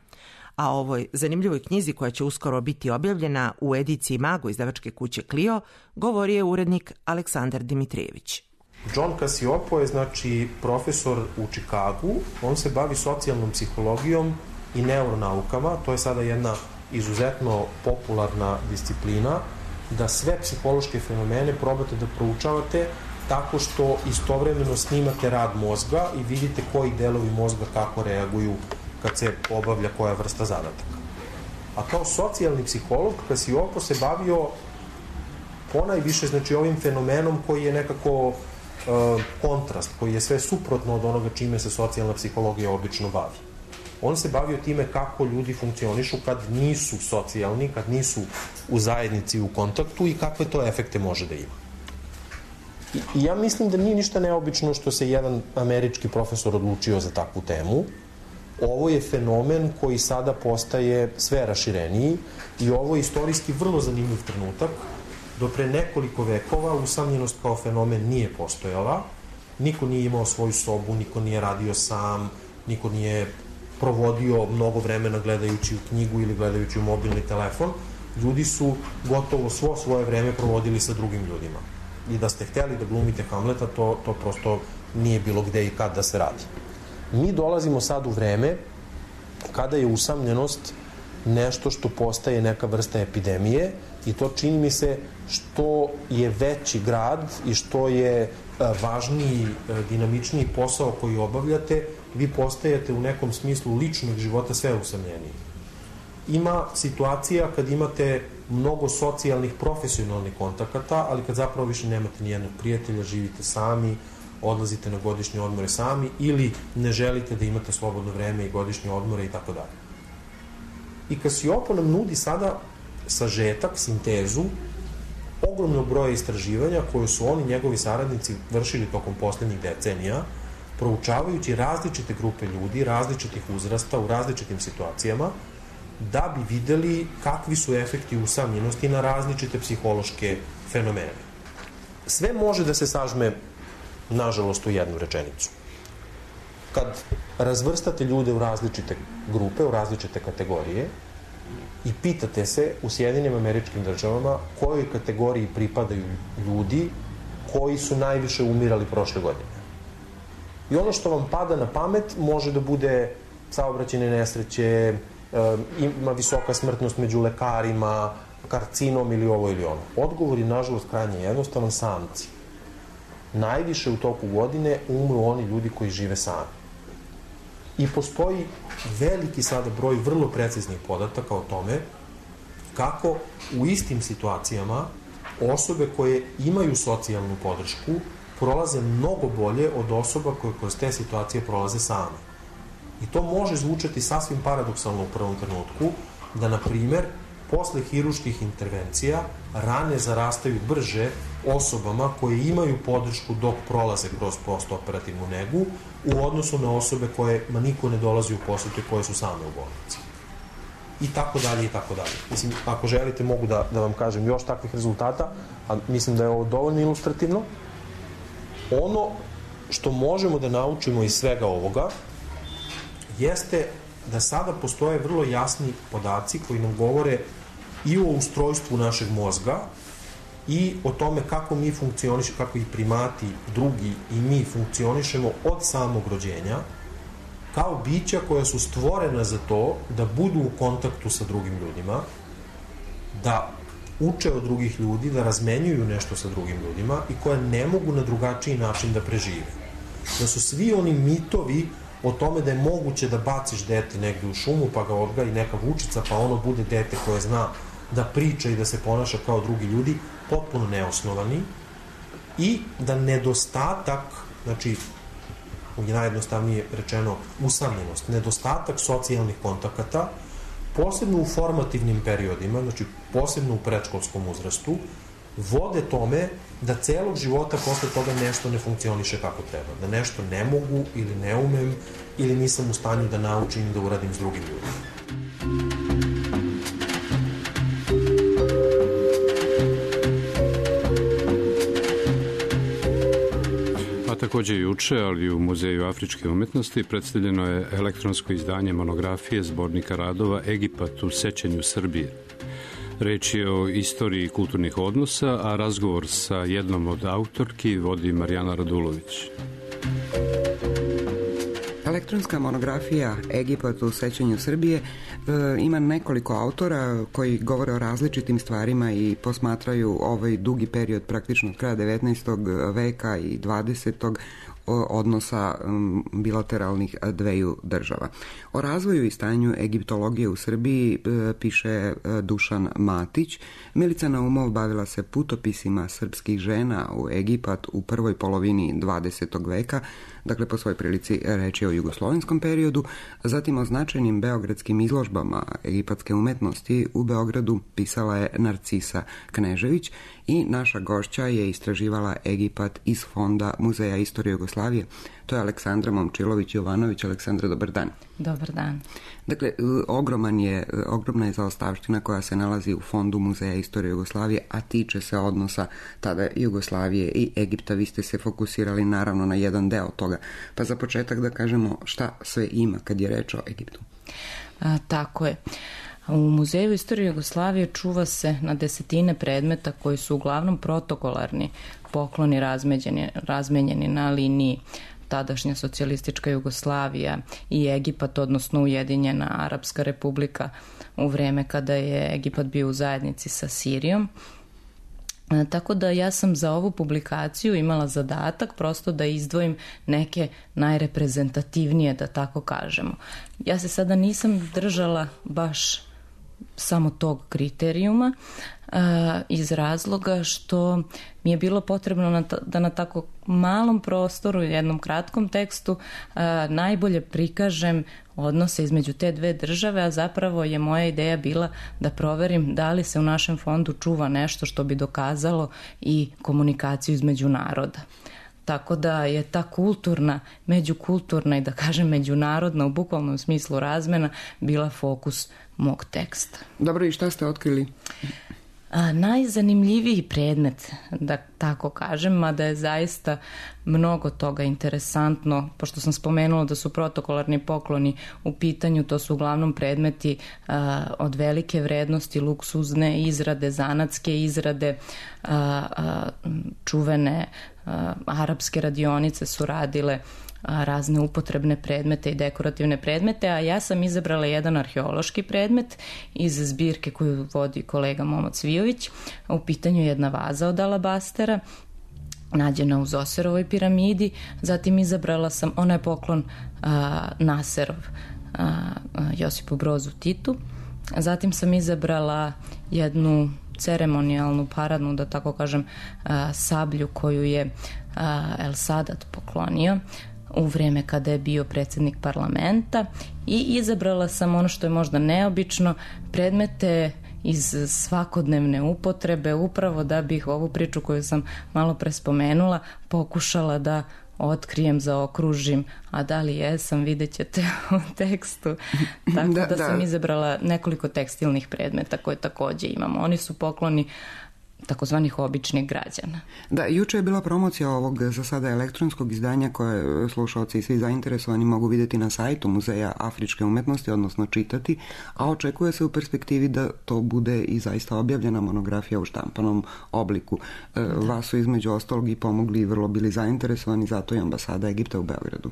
A o ovoj zanimljivoj knjizi koja će uskoro biti objavljena u ediciji Imago izdavačke kuće Clio govori je urednik Aleksandar Dimitrijević. John Cassiopo je znači profesor u Čikagu, on se bavi socijalnom psihologijom i neuronaukama, to je sada jedna izuzetno popularna disciplina, da sve psihološke fenomene probate da proučavate tako što istovremeno snimate rad mozga i vidite koji delovi mozga kako reaguju kad se obavlja koja vrsta zadataka. A kao socijalni psiholog Cassiopo se bavio ponajviše znači ovim fenomenom koji je nekako kontrast, koji je sve suprotno od onoga čime se socijalna psihologija obično bavi. On se bavio time kako ljudi funkcionišu kad nisu socijalni, kad nisu u zajednici u kontaktu i kakve to efekte može da ima. I ja mislim da nije ništa neobično što se jedan američki profesor odlučio za takvu temu. Ovo je fenomen koji sada postaje sve rašireniji i ovo je istorijski vrlo zanimljiv trenutak. Do pre nekoliko vekova usamljenost kao fenomen nije postojala. Niko nije imao svoju sobu, niko nije radio sam, niko nije provodio mnogo vremena gledajući u knjigu ili gledajući u mobilni telefon. Ljudi su gotovo svo svoje vreme provodili sa drugim ljudima. I da ste hteli da glumite Hamleta, to, to prosto nije bilo gde i kad da se radi. Mi dolazimo sad u vreme kada je usamljenost nešto što postaje neka vrsta epidemije i to čini mi se što je veći grad i što je važniji, dinamičniji posao koji obavljate, vi postajete u nekom smislu ličnog života sve usamljeniji. Ima situacija kad imate mnogo socijalnih, profesionalnih kontakata, ali kad zapravo više nemate nijednog prijatelja, živite sami, odlazite na godišnje odmore sami ili ne želite da imate slobodno vreme i godišnje odmore i tako dalje. I Cassiopo nam nudi sada sažetak, sintezu ogromnog broja istraživanja koje su oni, njegovi saradnici, vršili tokom poslednjih decenija, proučavajući različite grupe ljudi, različitih uzrasta, u različitim situacijama, da bi videli kakvi su efekti usamljenosti na različite psihološke fenomene. Sve može da se sažme, nažalost, u jednu rečenicu. Kad razvrstate ljude u različite grupe, u različite kategorije i pitate se u Sjedinjenim Američkim Državama kojoj kategoriji pripadaju ljudi koji su najviše umirali prošle godine. I ono što vam pada na pamet može da bude saobraćajne nesreće, ima visoka smrtnost među lekarima, karcinom ili ovo ili ono. Odgovor je, nažalost, krajnje jednostavan, samci. Najviše u toku godine umru oni ljudi koji žive sami. I postoji veliki sada broj vrlo preciznih podataka o tome kako u istim situacijama osobe koje imaju socijalnu podršku prolaze mnogo bolje od osoba koje kroz te situacije prolaze same. I to može zvučati sasvim paradoksalno u prvom trenutku, da, na primer, posle hiruških intervencija rane zarastaju brže osobama koje imaju podršku dok prolaze kroz postoperativnu negu u odnosu na osobe kojima niko ne dolazi u posetu i koje su same u bolnici. I tako dalje, i tako dalje. Mislim, ako želite, mogu da, da vam kažem još takvih rezultata, a mislim da je ovo dovoljno ilustrativno. Ono što možemo da naučimo iz svega ovoga jeste da sada postoje vrlo jasni podaci koji nam govore i o ustrojstvu našeg mozga i o tome kako mi funkcionišemo, kako i primati, drugi i mi funkcionišemo od samog rođenja, kao bića koja su stvorena za to da budu u kontaktu sa drugim ljudima, da uče od drugih ljudi, da razmenjuju nešto sa drugim ljudima i koje ne mogu na drugačiji način da prežive. Da su svi oni mitovi o tome da je moguće da baciš dete negde u šumu pa ga odgaji neka vučica pa ono bude dete koje zna da priča i da se ponaša kao drugi ljudi, potpuno neosnovani, i da nedostatak, znači je najjednostavnije rečeno usamljenost, nedostatak socijalnih kontakata, posebno u formativnim periodima, znači posebno u predškolskom uzrastu, vode tome da celog života posle toga nešto ne funkcioniše kako treba, da nešto ne mogu ili ne umem ili nisam u stanju da naučim da uradim s drugim ljudima. Takođe juče, ali u Muzeju afričke umetnosti, predstavljeno je elektronsko izdanje monografije zbornika radova Egipat u sećanju Srbije. Reč je o istoriji kulturnih odnosa, a razgovor sa jednom od autorki vodi Marijana Radulović. Elektronska monografija Egipat u sećanju Srbije e, ima nekoliko autora koji govore o različitim stvarima i posmatraju ovaj dugi period praktično od kraja devetnaestog veka i dvadesetog odnosa bilateralnih dveju država. O razvoju i stanju egiptologije u Srbiji piše Dušan Matić. Milica Naumov bavila se putopisima srpskih žena u Egipat u prvoj polovini dvadesetog veka, dakle po svoj prilici reč je o jugoslovenskom periodu, zatim o značajnim beogradskim izložbama egipatske umetnosti u Beogradu pisala je Narcisa Knežević i naša gošća je istraživala Egipat iz fonda Muzeja istorije Jugoslavije. To je Aleksandra Momčilović-Jovanović. Aleksandra, dobar dan. Dobar dan. Dakle, ogroman je, ogromna je zaostavština koja se nalazi u fondu Muzeja istorije Jugoslavije, a tiče se odnosa tada Jugoslavije i Egipta. Vi ste se fokusirali naravno na jedan deo toga. Pa za početak da kažemo šta sve ima kad je reč o Egiptu. A, tako je. U Muzeju istorije Jugoslavije čuva se na desetine predmeta koji su uglavnom protokolarni pokloni razmenjeni, razmenjeni na liniji tadašnja socijalistička Jugoslavija i Egipat, odnosno Ujedinjena Arapska Republika u vreme kada je Egipat bio u zajednici sa Sirijom. E, tako da ja sam za ovu publikaciju imala zadatak prosto da izdvojim neke najreprezentativnije, da tako kažemo. Ja se sada nisam držala baš samo tog kriterijuma uh, iz razloga što mi je bilo potrebno na ta, da na tako malom prostoru, jednom kratkom tekstu uh, najbolje prikažem odnose između te dve države, a zapravo je moja ideja bila da proverim da li se u našem fondu čuva nešto što bi dokazalo i komunikaciju između naroda. Tako da je ta kulturna, međukulturna i da kažem međunarodna u bukvalnom smislu razmena bila fokus mog teksta. Dobro, i šta ste otkrili? A, najzanimljiviji predmet, da tako kažem, mada je zaista mnogo toga interesantno, pošto sam spomenula da su protokolarni pokloni u pitanju, to su uglavnom predmeti a, od velike vrednosti, luksuzne izrade, zanatske izrade, a, a, čuvene a, arapske radionice su radile razne upotrebne predmete i dekorativne predmete, a ja sam izabrala jedan arheološki predmet iz zbirke koju vodi kolega Momo Cvijović. U pitanju je jedna vaza od alabastera nađena u Zoserovoj piramidi, zatim izabrala sam, ona je poklon a, Naserov a, a, Josipu Brozu Titu, zatim sam izabrala jednu ceremonijalnu, paradnu, da tako kažem, a, sablju koju je a, El Sadat poklonio u vreme kada je bio predsjednik parlamenta, i izabrala sam ono što je možda neobično, predmete iz svakodnevne upotrebe, upravo da bih ovu priču koju sam malo pre spomenula pokušala da otkrijem, zaokružim, a da li jesam, vidjet ćete u tekstu. Tako da, da sam izabrala nekoliko tekstilnih predmeta koje takođe imamo. Oni su pokloni takozvanih običnih građana. Da, juče je bila promocija ovog za sada elektronskog izdanja koje slušalci i svi zainteresovani mogu vidjeti na sajtu Muzeja afričke umetnosti, odnosno čitati, a očekuje se u perspektivi da to bude i zaista objavljena monografija u štampanom obliku. Da. Vas su između ostalog i pomogli i vrlo bili zainteresovani, zato i ambasada Egipta u Beogradu.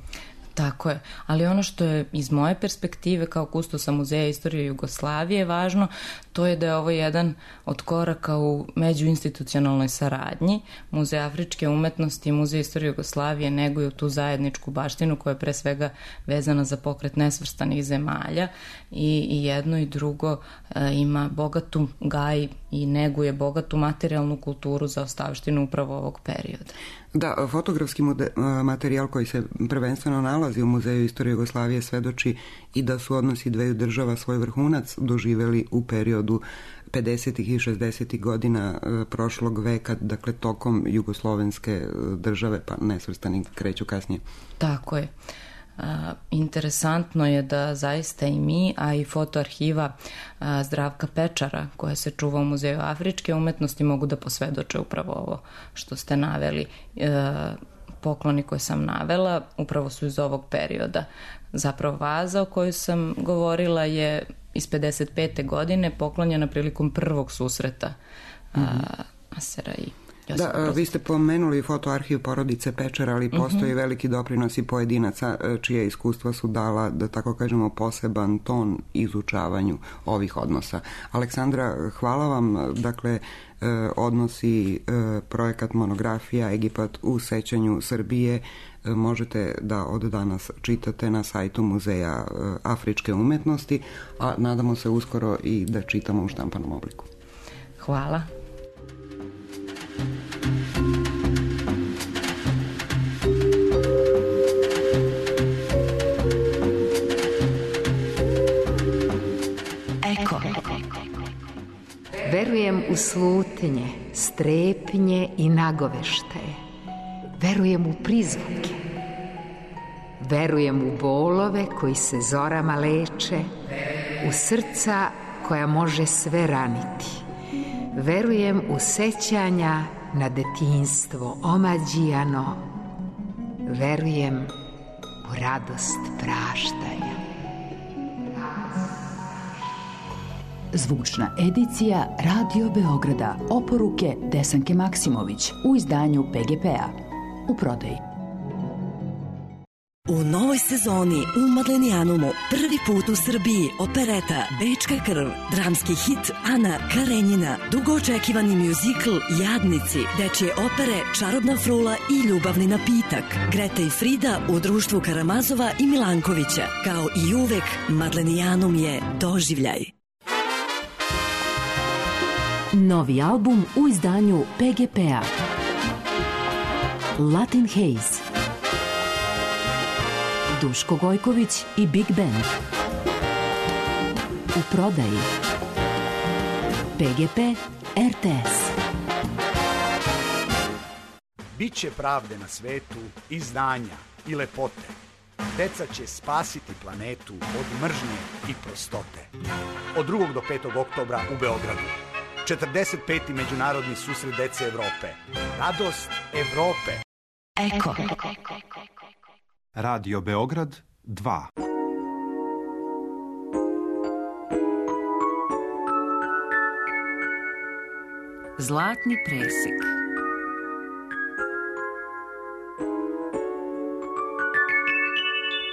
Tako je, ali ono što je iz moje perspektive kao kustosa Muzeja istorije Jugoslavije važno, to je da je ovo jedan od koraka u međuinstitucionalnoj saradnji. Muzej afričke umetnosti i Muzej istorije Jugoslavije neguju tu zajedničku baštinu koja je pre svega vezana za pokret nesvrstanih zemalja, i, i jedno i drugo e, ima bogatu gaj i neguje bogatu materijalnu kulturu za ostavštinu upravo ovog perioda. Da, fotografski materijal koji se prvenstveno nalazi u Muzeju istorije Jugoslavije svedoči i da su odnosi dveju država svoj vrhunac doživjeli u periodu pedesetih i šezdesetih godina prošlog veka, dakle tokom jugoslovenske države, pa nesvrstani kreću kasnije. Tako je. A, interesantno je da zaista i mi, a i fotoarhiva a, Zdravka Pečara koja se čuva u Muzeju afričke umetnosti mogu da posvedoče upravo ovo što ste naveli. E, pokloni koje sam navela upravo su iz ovog perioda. Zapravo vaza o kojoj sam govorila je iz pedeset pete godine, poklonjena prilikom prvog susreta mm-hmm. a, Nasera i Josipa Da, vi ste pomenuli fotoarhiv porodice Pečara, ali postoji mm-hmm. veliki doprinos i pojedinaca čije iskustva su dala, da tako kažemo, poseban ton izučavanju ovih odnosa. Aleksandra, hvala vam. Dakle, odnosi projekat monografija Egipat u sećanju Srbije možete da od danas čitate na sajtu Muzeja afričke umetnosti, a nadamo se uskoro i da čitamo u štampanom obliku. Hvala. Eko. Verujem u slutnje, strepnje i nagoveštaje. Verujem u prizvuke. Verujem u bolove koji se zorama leče, u srca koja može sve raniti. Verujem u sećanja na detinjstvo omađijano. Verujem u radost praštanja. Zvučna edicija Radio Beograda, oporuke Desanke Maksimović u izdanju P G P-a. U prodaji. U novoj sezoni u Madlenijanumu prvi put u Srbiji opereta Bečka krv, dramski hit Ana Karenjina, dugo očekivani mjuzikl Jadnici, dečje opere Čarobna frula i Ljubavni napitak, Greta i Frida u društvu Karamazova i Milankovića. Kao i uvek, Madlenijanum je doživljaj. Novi album u izdanju P G P-a. Latin Haze. Duško Gojković i Big Band. U prodaji. P G P R T S. Biće pravde na svetu i znanja i lepote. Deca će spasiti planetu od mržnje i prostote. Od drugog do petog oktobra u Beogradu. četrdeset peti Međunarodni susret dece Evrope. Radost Evrope. Eko. Radio Beograd dva. Zlatni presek.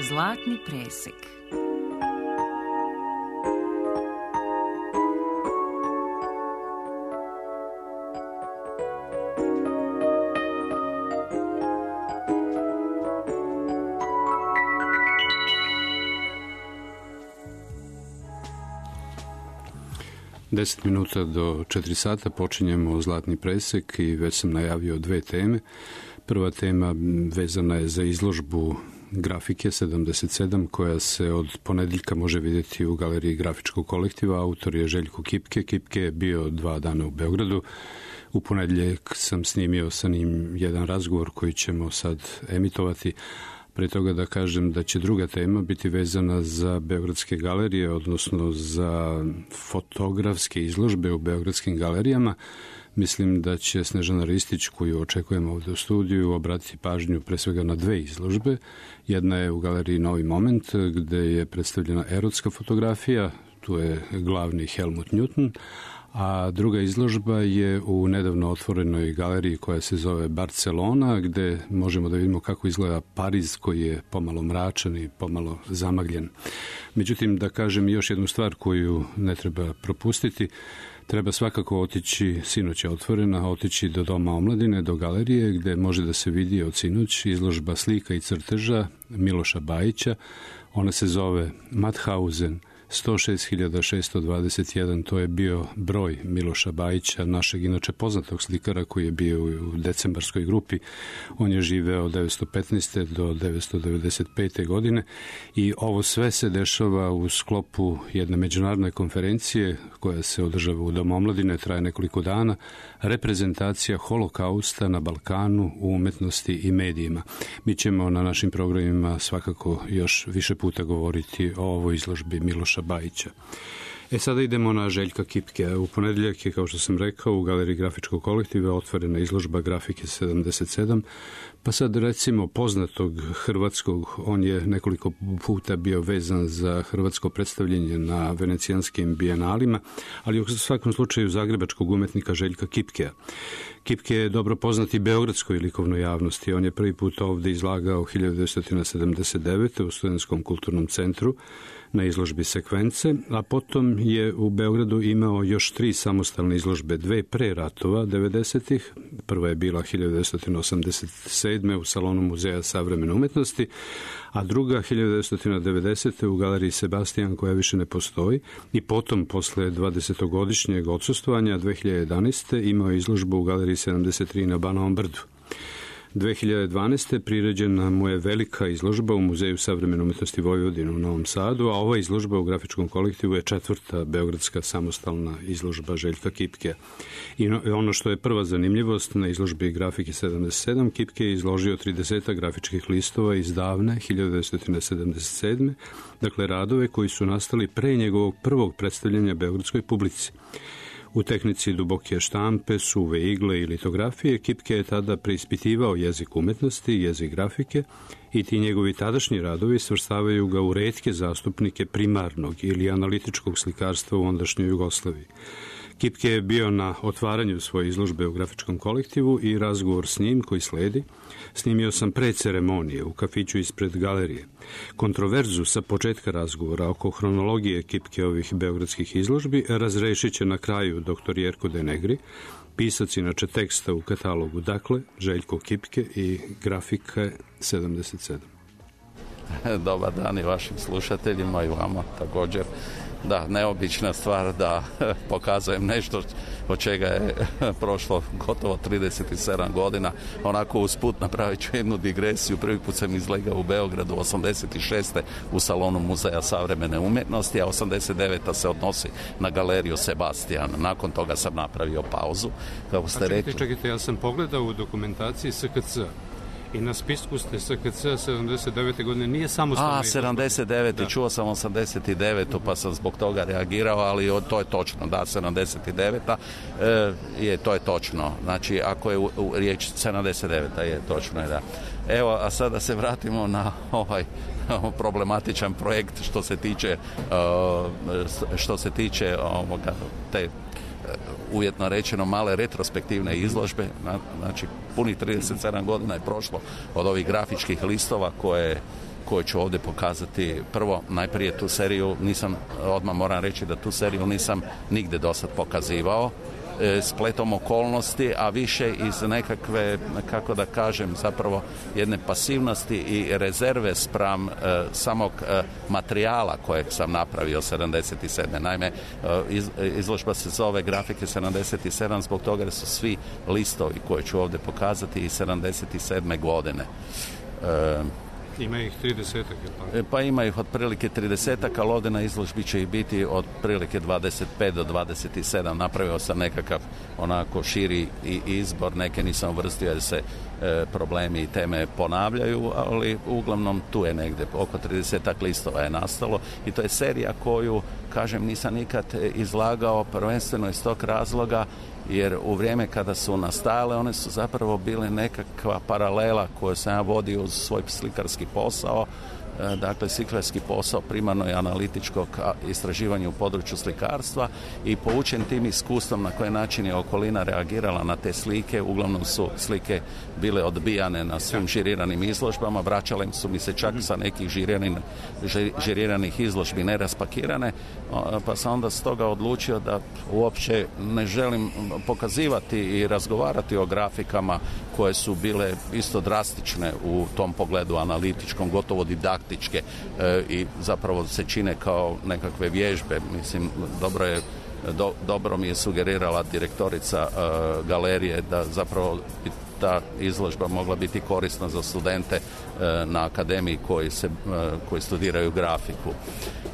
Zlatni presek. deset minuta do četiri sata počinjemo Zlatni presek i već sam najavio dve teme. Prva tema vezana je za izložbu grafike sedamdeset sedam koja se od ponedjeljka može vidjeti u galeriji grafičkog kolektiva. Autor je Željko Kipke. Kipke je bio dva dana u Beogradu. U ponedjeljak sam snimio sa njim jedan razgovor koji ćemo sad emitovati. Pre toga da kažem da će druga tema biti vezana za beogradske galerije, odnosno za fotografske izložbe u beogradskim galerijama. Mislim da će Snežana Ristić, koju očekujemo ovdje u studiju, obratiti pažnju pre svega na dve izložbe. Jedna je u galeriji Novi moment, gde je predstavljena erotska fotografija, tu je glavni Helmut Newton, a druga izložba je u nedavno otvorenoj galeriji koja se zove Barcelona, gde možemo da vidimo kako izgleda Pariz koji je pomalo mračan i pomalo zamagljen. Međutim, da kažem još jednu stvar koju ne treba propustiti, treba svakako otići, sinoć je otvorena, otići do Doma omladine, do galerije gde može da se vidi od sinoć izložba slika i crteža Miloša Bajića. Ona se zove Mauthausen sto šest hiljada šesto dvadeset jedan, to je bio broj Miloša Bajića, našeg inače poznatog slikara koji je bio u decembarskoj grupi. On je živeo od devetsto petnaeste do devetsto devedeset pete godine i ovo sve se dešava u sklopu jedne međunarodne konferencije koja se održava u Domu omladine, traje nekoliko dana, reprezentacija holokausta na Balkanu u umetnosti i medijima. Mi ćemo na našim programima svakako još više puta govoriti o ovoj izložbi Miloša Bajića. E sada idemo na Željka Kipke. U ponedjeljak je, kao što sam rekao, u galeriji grafičkog kolektiva otvorena izložba grafike sedamdeset sedam, pa sad recimo poznatog hrvatskog, on je nekoliko puta bio vezan za hrvatsko predstavljanje na venecijanskim bijenalima, ali u svakom slučaju zagrebačkog umetnika Željka Kipkea. Kipke je dobro poznat i beogradskoj likovnoj javnosti. On je prvi put ovdje izlagao hiljadu devetsto sedamdeset devete. u Studentskom kulturnom centru na izložbi Sekvence, a potom je u Beogradu imao još tri samostalne izložbe, dve pre ratova devedesetih. Prva je bila hiljadu devetsto osamdeset sedme. u Salonu Muzeja savremene umetnosti, a druga hiljadu devetsto devedesete. u galeriji Sebastian, koja više ne postoji, i potom posle dvadesetogodišnjeg odsustvovanja dve hiljade jedanaeste. imao je izložbu u galeriji sedamdeset tri na Banovom brdu. dve hiljade dvanaeste. priređena mu je velika izložba u Muzeju savremene umetnosti Vojvodine u Novom Sadu, a ova izložba u grafičkom kolektivu je četvrta beogradska samostalna izložba Željka Kipkea. I ono što je prva zanimljivost, na izložbi grafike sedamdeset sedam Kipke je izložio trideset grafičkih listova iz davne hiljadu devetsto sedamdeset sedme. Dakle, radove koji su nastali pre njegovog prvog predstavljanja beogradskoj publici. U tehnici duboke štampe, suve igle i litografije Kipke je tada preispitivao jezik umetnosti, jezik grafike i ti njegovi tadašnji radovi svrstavaju ga u retke zastupnike primarnog ili analitičkog slikarstva u ondašnjoj Jugoslaviji. Kipke je bio na otvaranju svoje izložbe u grafičkom kolektivu i razgovor s njim koji sledi snimio sam pre ceremonije u kafiću ispred galerije. Kontroverzu sa početka razgovora oko hronologije Kipkeovih beogradskih izložbi razrešit će na kraju doktor Jerko De Negri, pisac inače teksta u katalogu. Dakle, Željko Kipke i grafika sedamdeset sedam. Dobar dan i vašim slušateljima i vama također. Da, neobična stvar da pokazujem nešto od čega je prošlo gotovo trideset sedam godina. Onako usput napravit ću jednu digresiju. Prvi put sam izlegao u Beogradu osamdeset šeste. u Salonu Muzeja savremene umjetnosti, a osamdeset deveta. se odnosi na galeriju Sebastian. Nakon toga sam napravio pauzu. Kako ste a čekajte, rekli... čekajte, ja sam pogledao u dokumentaciji S K C i na spisku ste S K C sedamdeset devete. godine, nije samostalno. A, sedamdeset devete. čuo sam osamdeset devetu. pa sam zbog toga reagirao, ali to je točno, da, sedamdeset deveta. E, je, to je točno. Znači, ako je u, u riječ sedamdeset deveta. je točno je, da. Evo, a sada se vratimo na ovaj problematičan projekt što se tiče što se tiče ovoga, te uvjetno rečeno male retrospektivne izložbe. Znači, punih trideset sedam godina je prošlo od ovih grafičkih listova koje, koje ću ovdje pokazati. Prvo, najprije tu seriju nisam, odmah moram reći da tu seriju nisam nigde dosad pokazivao. spletom okolnosti, a više iz nekakve, kako da kažem, zapravo jedne pasivnosti i rezerve spram e, samog e, materijala kojeg sam napravio sedamdeset sedme. Naime, e, iz, izložba se zove Grafike sedamdeset sedam zbog toga da su svi listovi koje ću ovdje pokazati iz sedamdeset sedme godine. E, Ima ih tridesetak, je pa ima ih otprilike tridesetak, ali ovdje na izložbi će ih biti otprilike dvadeset pet do dvadeset sedam. Napravio sam nekakav onako širi izbor, neke nisam uvrstio jer se e, problemi i teme ponavljaju, ali uglavnom tu je negdje oko tridesetak listova je nastalo i to je serija koju, kažem, nisam nikad izlagao prvenstveno iz tog razloga jer u vrijeme kada su nastajale one su zapravo bile nekakva paralela koju sam ja vodio uz svoj slikarski posao. Dakle, slikarski posao primarno je analitičkog istraživanja u području slikarstva i poučen tim iskustvom na koji način je okolina reagirala na te slike, uglavnom su slike bile odbijane na svim žiriranim izložbama, vraćale su mi se čak sa nekih žiriranih, žiriranih izložbi neraspakirane, pa sam onda stoga odlučio da uopće ne želim pokazivati i razgovarati o grafikama koje su bile isto drastične u tom pogledu analitičkom, gotovo didaktičke e, i zapravo se čine kao nekakve vježbe. Mislim, dobro je do, dobro mi je sugerirala direktorica e, galerije da zapravo bi ta izložba mogla biti korisna za studente e, na akademiji koji, se, e, koji studiraju grafiku.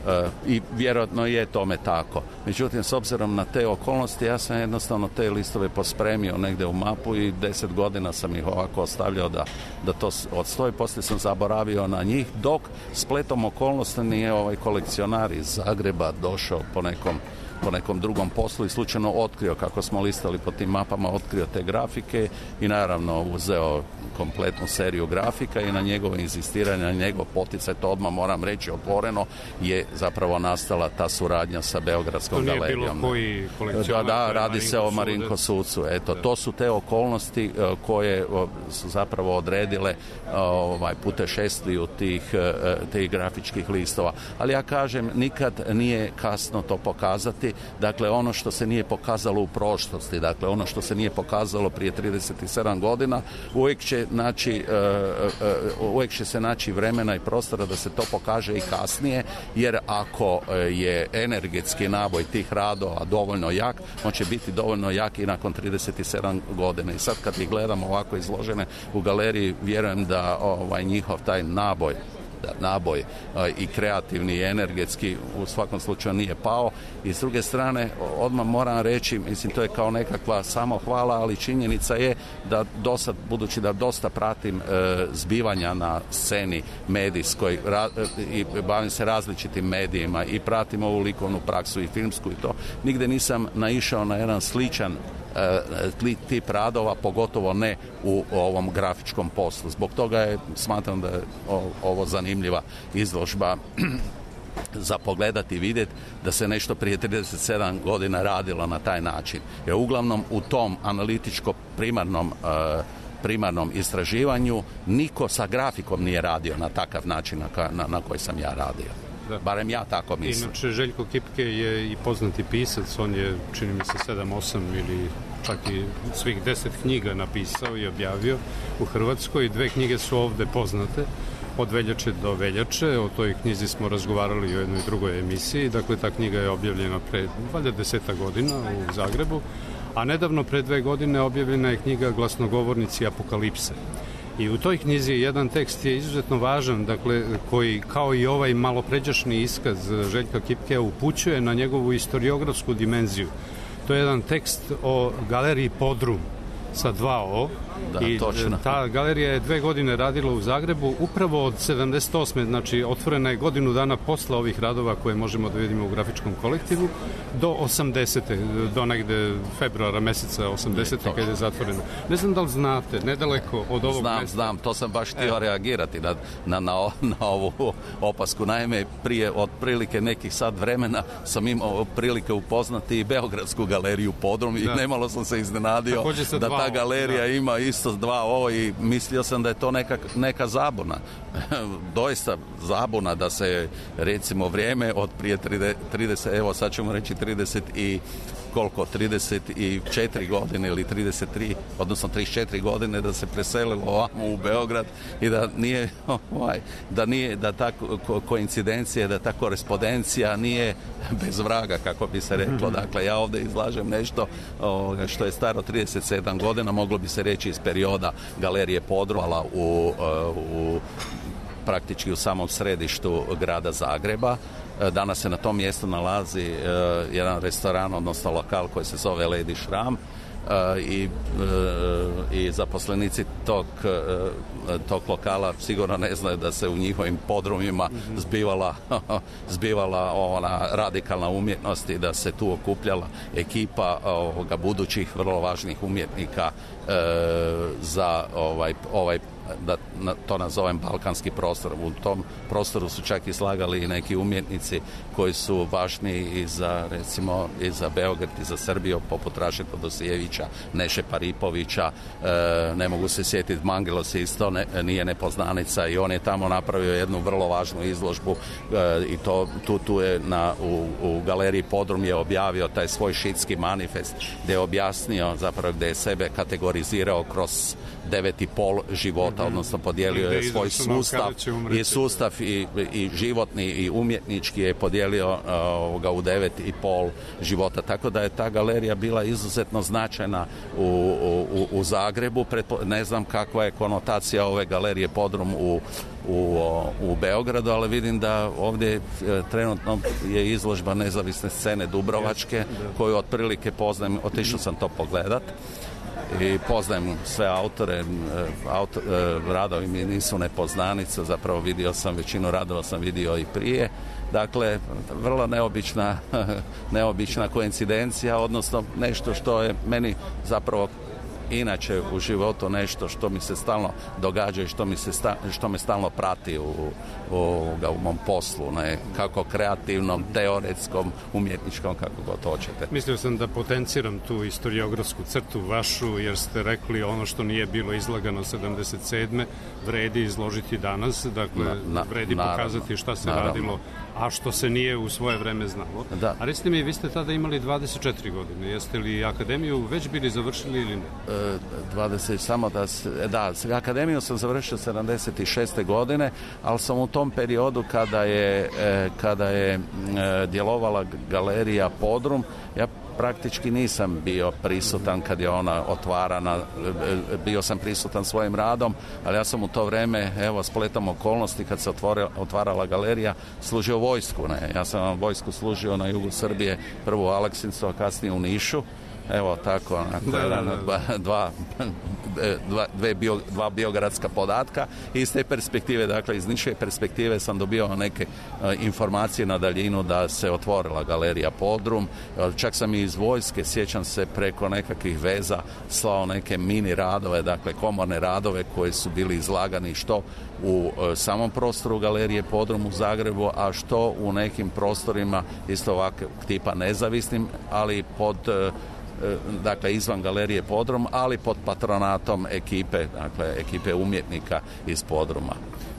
E, I vjerojatno je tome tako. Međutim, s obzirom na te okolnosti, ja sam jednostavno te listove pospremio negdje u mapu i deset godina sam ih ovako ostavljao da, da to odstoji. Poslije sam zaboravio na njih, dok spletom okolnosti nije ovaj kolekcionar iz Zagreba došao po nekom po nekom drugom poslu i slučajno otkrio, kako smo listali po tim mapama, otkrio te grafike i naravno uzeo kompletnu seriju grafika i na njegovo inzistiranje, na njegov poticaj, to odmah moram reći otvoreno, je zapravo nastala ta suradnja sa Beogradskom galerijom. To nije bilo koji kolekcionar? Da, da, radi se o Marinko Sucu. Eto, to su te okolnosti koje su zapravo odredile ovaj, putešestviju tih, tih grafičkih listova. Ali ja kažem, nikad nije kasno to pokazati. Dakle, ono što se nije pokazalo u prošlosti, dakle, ono što se nije pokazalo prije trideset sedam godina, uvijek će naći, uh, uh, uvijek će se naći vremena i prostora da se to pokaže i kasnije, jer ako je energetski naboj tih radova dovoljno jak, on će biti dovoljno jak i nakon trideset sedam godina. I sad kad ih gledamo ovako izložene u galeriji, vjerujem da ovaj njihov taj naboj naboj i kreativni i energetski u svakom slučaju nije pao. I s druge strane, odmah moram reći, mislim, to je kao nekakva samohvala, ali činjenica je da dosad, budući da dosta pratim e, zbivanja na sceni medijskoj ra, i bavim se različitim medijima i pratim ovu likovnu praksu i filmsku i to, nigde nisam naišao na jedan sličan tip radova, pogotovo ne u ovom grafičkom poslu. Zbog toga je, smatram da je ovo zanimljiva izložba za pogledati i vidjeti da se nešto prije trideset sedam godina radilo na taj način. Jer uglavnom u tom analitičko primarnom primarnom istraživanju niko sa grafikom nije radio na takav način na, na, na koji sam ja radio. Da. Barem ja tako mislim. Inače, Željko Kipke je i poznati pisac, on je, čini mi se, sedam osam ili čak i svih deset knjiga napisao i objavio u Hrvatskoj. Dve knjige su ovde poznate, Od veljače do veljače. O toj knjizi smo razgovarali u jednoj drugoj emisiji. Dakle, ta knjiga je objavljena pre valjda deseta godina u Zagrebu, a nedavno pre dve godine objavljena je knjiga Glasnogovornici apokalipse. I u toj knjizi jedan tekst je izuzetno važan, dakle, koji kao i ovaj malopređašnji iskaz Željka Kipkea upućuje na njegovu istoriografsku dimenziju. To je jedan tekst o galeriji Podrum sa dva O. Da, i točno. Ta galerija je dve godine radila u Zagrebu, upravo od sedamdeset osme, znači otvorena je godinu dana posle ovih radova koje možemo da vidimo u grafičkom kolektivu, do osamdesete, do negde februara meseca osamdesete kada je zatvoreno. Ne znam da li znate, nedaleko od ovog znam, mesta. Znam, to sam baš htio e. reagirati na, na, na, na ovu opasku. Naime, prije otprilike nekih sat vremena sam imao prilike upoznati i Beogradsku galeriju Podrum i nemalo sam se iznenadio da ta ta galerija ima isto dva o i mislio sam da je to neka, neka zabuna. Doista zabuna da se recimo vrijeme od prije trideset, evo sad ćemo reći trideset i koliko, trideset četiri godine ili trideset tri, odnosno trideset četiri godine da se preselilo ovamo u Beograd i da nije, ovaj, da nije, da ta koincidencija, da ta korespondencija nije bez vraga, kako bi se reklo. Dakle, ja ovdje izlažem nešto ovoga, što je staro trideset sedam godina, moglo bi se reći iz perioda Galerije Podrum u, u praktički u samom središtu grada Zagreba. Danas se na tom mjestu nalazi uh, jedan restoran, odnosno lokal koji se zove Lady Šram uh, i, uh, i zaposlenici tog, uh, tog lokala sigurno ne znaju da se u njihovim podrumima zbivala, zbivala ona radikalna umjetnost i da se tu okupljala ekipa ovoga budućih vrlo važnih umjetnika uh, za ovaj, ovaj da to nazovem balkanski prostor. U tom prostoru su čak i slagali i neki umjetnici koji su važni i za, recimo, i za Beograd i za Srbiju, poput Raše Todosijevića, Neše Paripovića, e, ne mogu se sjetiti, Mangelos isto ne, nije nepoznanica i on je tamo napravio jednu vrlo važnu izložbu e, i to, tu, tu je na, u, u galeriji Podrum je objavio taj svoj šitski manifest gdje je objasnio zapravo gdje je sebe kategorizirao kroz devet i pol života, odnosno podijelio je svoj sustav i sustav i, i životni i umjetnički je podijelio uh, ga u devet i pol života. Tako da je ta galerija bila izuzetno značajna u, u, u Zagrebu. Pretpo, ne znam kakva je konotacija ove galerije Podrum u U, u Beogradu, ali vidim da ovdje trenutno je izložba nezavisne scene Dubrovačke, koju otprilike poznajem, otišao sam to pogledat i poznajem sve autore, autor, radovi mi nisu nepoznanica, zapravo vidio sam većinu radova sam vidio i prije. Dakle, vrlo neobična, neobična koincidencija, odnosno nešto što je meni zapravo inače u životu nešto što mi se stalno događa i što, mi se sta, što me stalno prati u, u, u mom poslu, ne? Kako kreativnom, teoretskom, umjetničkom, kako god hoćete. Mislio sam da potenciram tu historiografsku crtu vašu, jer ste rekli ono što nije bilo izlagano sedamdeset sedme vredi izložiti danas, dakle na, na, vredi naravno, pokazati šta se naravno. radilo, a što se nije u svoje vreme znalo. Da. A recite mi, vi ste tada imali dvadeset četiri godine, jeste li akademiju već bili završili ili ne? E, dvadeset, samo da, da, akademiju sam završio sedamdeset šeste godine, ali sam u tom periodu kada je, kada je djelovala galerija Podrum, ja praktički nisam bio prisutan kad je ona otvarana, bio sam prisutan svojim radom, ali ja sam u to vrijeme, evo, spletom okolnosti kad se otvorila, otvarala galerija, služio vojsku, ne? Ja sam vojsku služio na jugu Srbije, prvo u Aleksincu, a kasnije u Nišu. Evo tako, onako, da, jedan, da, da. Dva, dva, dva, dve bio, dva biogradska podatka i iz te perspektive, dakle iz niše perspektive sam dobio neke uh, informacije na daljinu da se otvorila galerija Podrum, čak sam i iz vojske, sjećam se, preko nekakvih veza slao neke mini radove, dakle komorne radove koji su bili izlagani što u uh, samom prostoru galerije Podrum u Zagrebu, a što u nekim prostorima isto ovakvog tipa nezavisnim, ali pod uh, dakle izvan galerije Podrum, ali pod patronatom ekipe, dakle ekipe umjetnika iz Podruma.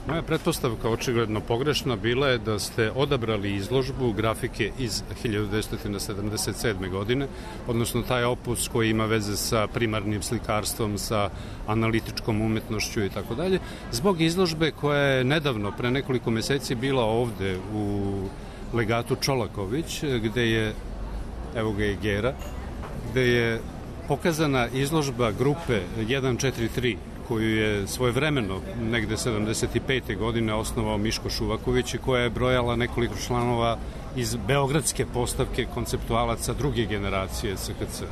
Moja pretpostavka, očigledno pogrešna, bila je da ste odabrali izložbu grafike iz hiljadu devetsto sedamdeset sedme. godine, odnosno taj opus koji ima veze sa primarnim slikarstvom, sa analitičkom umetnošću i tako dalje, zbog izložbe koja je nedavno, pre nekoliko meseci, bila ovde u legatu Čolaković, gde je, evo ga i Gera, gde je pokazana izložba grupe jedan četiri tri, koju je svojevremeno, negde sedamdeset pete. godine, osnovao Miško Šuvaković i koja je brojala nekoliko članova iz beogradske postavke konceptualaca druge generacije C K C.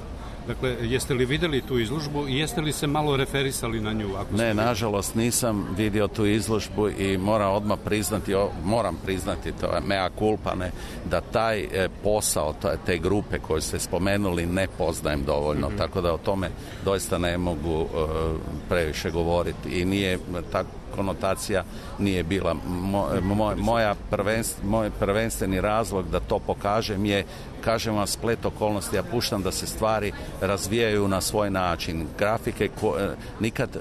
Dakle, jeste li vidjeli tu izložbu i jeste li se malo referisali na nju? Ako ne, nažalost nisam vidio tu izložbu i moram odmah priznati, moram priznati, to je mea culpa, ne, da taj e, posao, te grupe koje ste spomenuli ne poznajem dovoljno, mm-hmm. tako da o tome doista ne mogu e, previše govoriti i nije tako. konotacija nije bila. Mo, mo, moja prvenst, moj prvenstveni razlog da to pokažem je, kažem vam, splet okolnosti, ja puštam da se stvari razvijaju na svoj način. Grafike ko, nikad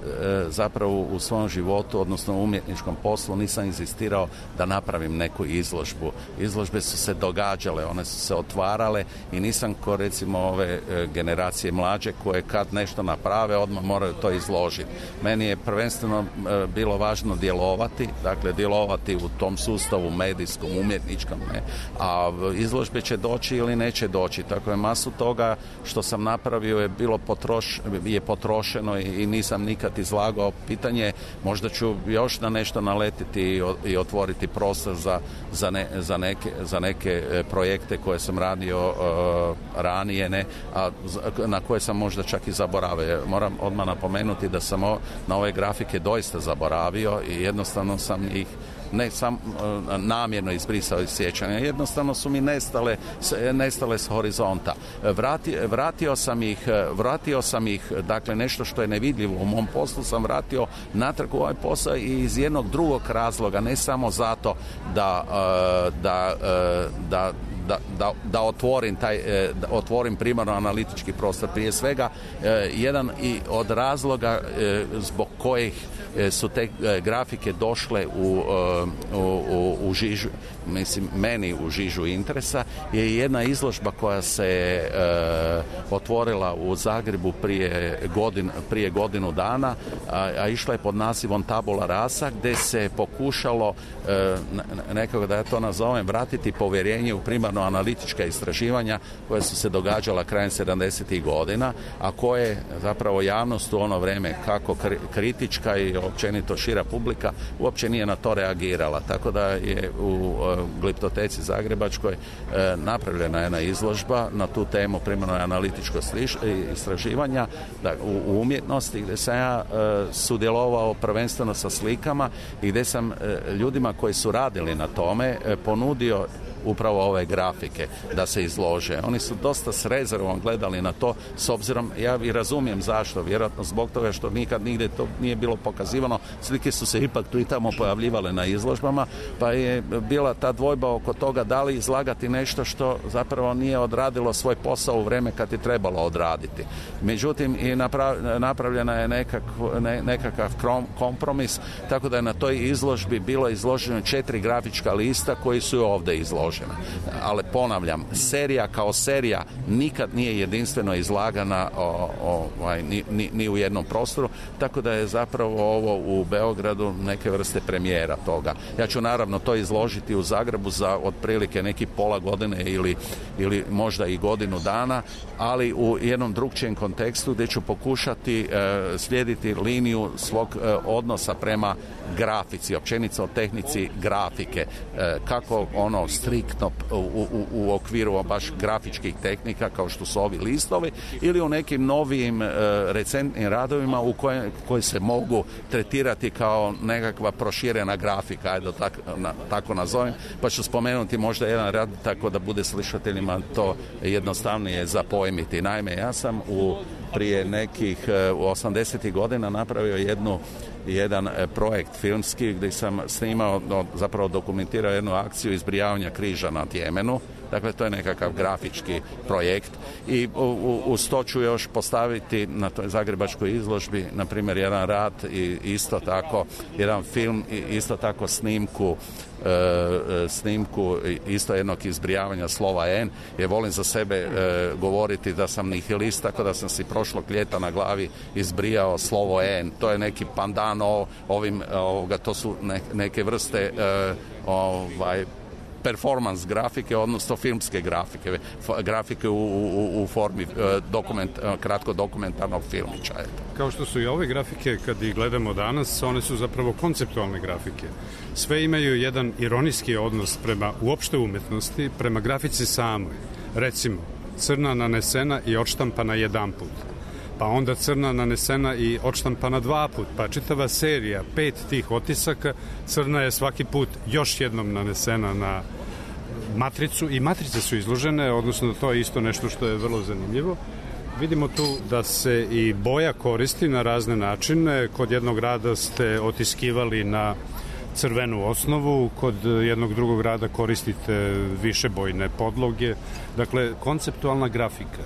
zapravo u svom životu, odnosno u umjetničkom poslu, nisam inzistirao da napravim neku izložbu. Izložbe su se događale, one su se otvarale i nisam ko recimo ove generacije mlađe koje kad nešto naprave odmah moraju to izložiti. Meni je prvenstveno bilo važno djelovati, dakle djelovati u tom sustavu medijskom, umjetničkom, ne, a izložbe će doći ili neće doći. Tako je masu toga što sam napravio je bilo potroš, je potrošeno i, i nisam nikad izlagao. Pitanje, možda ću još na nešto naletiti i, i otvoriti prostor za, za, ne, za, neke, za neke projekte koje sam radio uh, ranije, ne, a na koje sam možda čak i zaboravio. Moram odmah napomenuti da sam o, na ove grafike doista zaboravio i jednostavno sam ih ne sam namjerno izbrisao iz sjećanja. Jednostavno su mi nestale, nestale s horizonta. Vrati, vratio sam ih, vratio sam ih, dakle nešto što je nevidljivo u mom poslu sam vratio natrag u ovaj posao i iz jednog drugog razloga, ne samo zato da, da, da Da, da, da otvorim taj, da otvorim primarno analitički prostor. Prije svega jedan i od razloga zbog kojih su te grafike došle u, u, u, u žižu, mislim, meni u žižu interesa, je jedna izložba koja se e, otvorila u Zagrebu prije, godin, prije godinu dana, a, a išla je pod nazivom Tabula rasa, gdje se pokušalo e, nekako, da ja to nazovem, vratiti povjerenje u primarno analitička istraživanja koja su se događala krajem sedamdesetih godina, a koje zapravo javnost u ono vrijeme, kako kritička i općenito šira publika, uopće nije na to reagirala. Tako da je u Gliptoteci zagrebačkoj e, napravljena jedna izložba na tu temu primarno analitičko istraživanja da, u, u umjetnosti, gdje sam ja e, sudjelovao prvenstveno sa slikama i gdje sam e, ljudima koji su radili na tome e, ponudio upravo ove grafike da se izlože. Oni su dosta s rezervom gledali na to, s obzirom, ja i razumijem zašto, vjerojatno zbog toga što nikad nigdje to nije bilo pokazivano, slike su se ipak tu i tamo pojavljivale na izložbama, pa je bila ta dvojba oko toga da li izlagati nešto što zapravo nije odradilo svoj posao u vrijeme kad je trebalo odraditi. Međutim, i napravljena je nekak, ne, nekakav kompromis, tako da je na toj izložbi bilo izloženo četiri grafička lista koji su ovdje izloženi. Ali ponavljam, serija kao serija nikad nije jedinstveno izlagana o, o, ovaj, ni, ni, ni u jednom prostoru, tako da je zapravo ovo u Beogradu neke vrste premijera toga. Ja ću naravno to izložiti u Zagrebu za otprilike neki pola godine ili, ili možda i godinu dana, ali u jednom drugčijem kontekstu gdje ću pokušati e, slijediti liniju svog e, odnosa prema grafici, općenito o tehnici grafike, e, kako ono striktno u, u, u okviru baš grafičkih tehnika kao što su ovi listovi ili u nekim novijim e, recentnim radovima u koje, koji se mogu tretirati kao nekakva proširena grafika, ajde tako, na, tako nazovem, pa ću spomenuti možda jedan rad tako da bude slušateljima to jednostavnije zapojmiti. Naime, ja sam u prije nekih u osamdesetih godina napravio jednu jedan projekt filmski gdje sam snimao, zapravo dokumentirao jednu akciju izbrijavanja križa na Tjemenu. Dakle, to je nekakav grafički projekt i uz to ću još postaviti na toj zagrebačkoj izložbi, na primjer, jedan rad i isto tako, jedan film i isto tako snimku E, snimku isto jednog izbrijavanja slova N, jer volim za sebe e, govoriti da sam nihilist, tako da sam si prošlog ljeta na glavi izbrijao slovo N. To je neki pandan o, ovim, ovoga, to su ne, neke vrste e, ovaj performance grafike, odnosno filmske grafike, grafike u, u, u formi dokument, kratko dokumentarnog filmića. Kao što su i ove grafike, kad ih gledamo danas, one su zapravo konceptualne grafike. Sve imaju jedan ironijski odnos prema uopšte umjetnosti, prema grafici samoj. Recimo, crna nanesena i odštampana jedan put. Pa onda crna nanesena i odštampana dva put, pa čitava serija, pet tih otisaka, crna je svaki put još jednom nanesena na matricu i matrice su izložene, odnosno to je isto nešto što je vrlo zanimljivo. Vidimo tu da se i boja koristi na razne načine. Kod jednog rada ste otiskivali na crvenu osnovu, kod jednog drugog rada koristite višebojne podloge. Dakle, konceptualna grafika.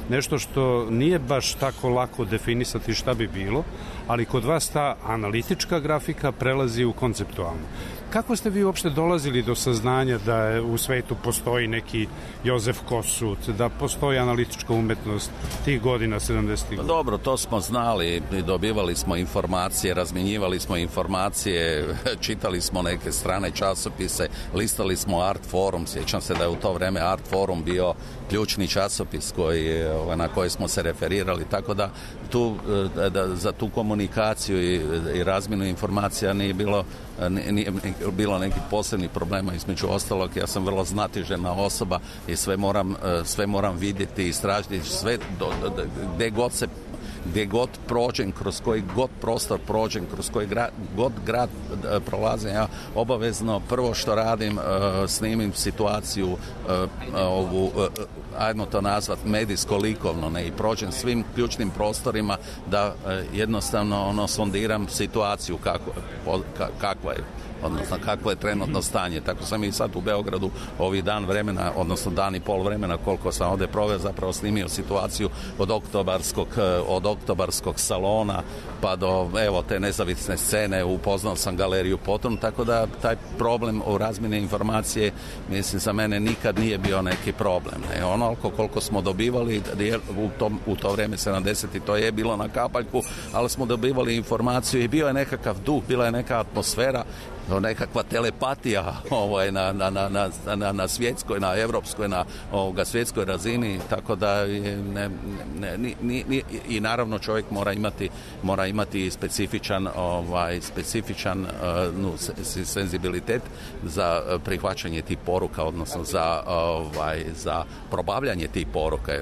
Nešto što nije baš tako lako definisati šta bi bilo, ali kod vas ta analitička grafika prelazi u konceptualnu. Kako ste vi uopšte dolazili do saznanja da u svetu postoji neki Jozef Kossuth, da postoji analitička umetnost tih godina, sedamdesetih godina? Dobro, to smo znali, dobivali smo informacije, razmjenjivali smo informacije, čitali smo neke strane časopise, listali smo Art Forum, sjećam se da je u to vreme Art Forum bio ključni časopis koji, na koji smo se referirali, tako da, tu, da za tu komunikaciju i, i razmjenu informacija nije bilo, nije bilo nekih posebnih problema. Između ostalog, ja sam vrlo znatiželjna osoba i sve moram, sve moram vidjeti i istražiti, sve do, do, gdje god se gdje god prođem, kroz koji god prostor prođem, kroz koji gra, god grad e, prolazim, ja obavezno prvo što radim, e, snimim situaciju, e, ovu, e, ajmo to nazvat medijsko-likovno, ne, i prođem svim ključnim prostorima da e, jednostavno ono sondiram situaciju kako, po, ka, kakva je, odnosno kakvo je trenutno stanje. Tako sam i sad u Beogradu ovih dan vremena, odnosno dan i pol vremena koliko sam ovdje proveo, zapravo snimio situaciju od oktobarskog, od oktobarskog salona pa do evo te nezavisne scene, upoznao sam galeriju potom, tako da taj problem o razmjeni informacije, mislim, za mene nikad nije bio neki problem. Ne? Onoliko koliko smo dobivali u, tom, u to vrijeme sedamdesetih, to je bilo na kapaljku, ali smo dobivali informaciju i bio je nekakav duh, bila je neka atmosfera, nekakva telepatija ovaj, na, na, na, na, na svjetskoj, na evropskoj, na ovoga, svjetskoj razini, tako da ne, ne, ni, ni, ni, i naravno čovjek mora imati, mora imati specifičan, ovaj, specifičan uh, nu, senzibilitet za prihvaćanje tih poruka, odnosno za, ovaj, za probavljanje tih poruka.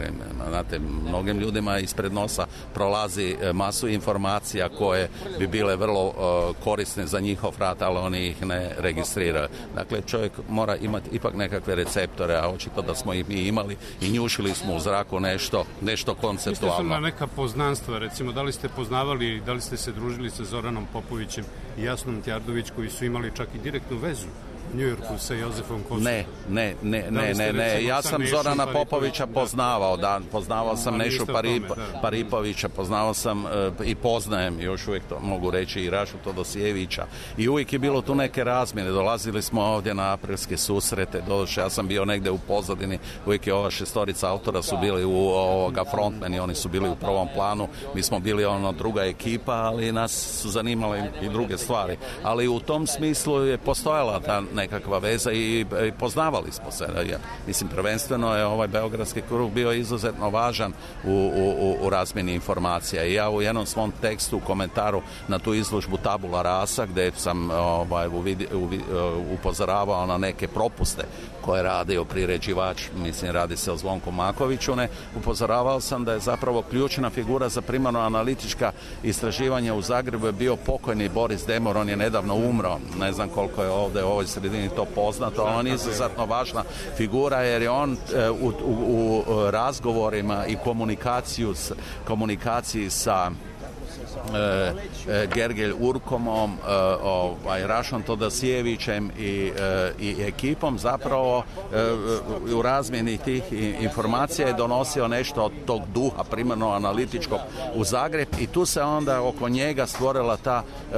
Znate, mnogim ljudima ispred nosa prolazi masu informacija koje bi bile vrlo uh, korisne za njihov rad, ali oni ih ne registriraju. Dakle, čovjek mora imati ipak nekakve receptore, a očito da smo ih mi imali i njušili smo u zraku nešto, nešto konceptualno. Mislite su na neka poznanstva, recimo, da li ste poznavali, da li ste se družili sa Zoranom Popovićem i Jasnom Tjardović, koji su imali čak i direktnu vezu u Njujorku sa Jozefom Kossuthom? Ne, ne, ne, ne, ne, ne. Ja sam Zorana Popovića poznavao, da, poznavao sam Nešu Parip, Paripovića, poznavao sam uh, i poznajem, još uvijek to mogu reći, i Rašu Todosijevića. I uvijek je bilo tu neke razmjene, dolazili smo ovdje na aprilske susrete, doduše ja sam bio negdje u pozadini, uvijek je ova šestorica autora su bili u ovoga frontmeni, oni su bili u prvom planu, mi smo bili ono druga ekipa, ali nas su zanimale i druge stvari. Ali u tom smislu je postojala ta nekakva veza i, i poznavali smo se. Ja, mislim, prvenstveno je ovaj beogradski krug bio izuzetno važan u, u, u razmjeni informacija. I ja u jednom svom tekstu, u komentaru na tu izložbu Tabula Rasa, gdje sam ovaj, uvidi, uvi, upozoravao na neke propuste koje je radio priređivač, mislim, radi se o Zvonku Makoviću, ne, upozoravao sam da je zapravo ključna figura za primarno analitička istraživanja u Zagrebu je bio pokojni Boris Demor, on je nedavno umro, ne znam koliko je ovdje u ovoj sredini to poznato, ali on je izuzetno važna figura jer je on e, u, u, u razgovorima i komunikaciju s, komunikaciji sa E, e, Gergelj Urkomom, e, ovaj, Rašom Todosijevićem i, e, i ekipom zapravo e, u razmjeni tih informacija je donosio nešto od tog duha primarno analitičkog u Zagreb i tu se onda oko njega stvorila ta, e,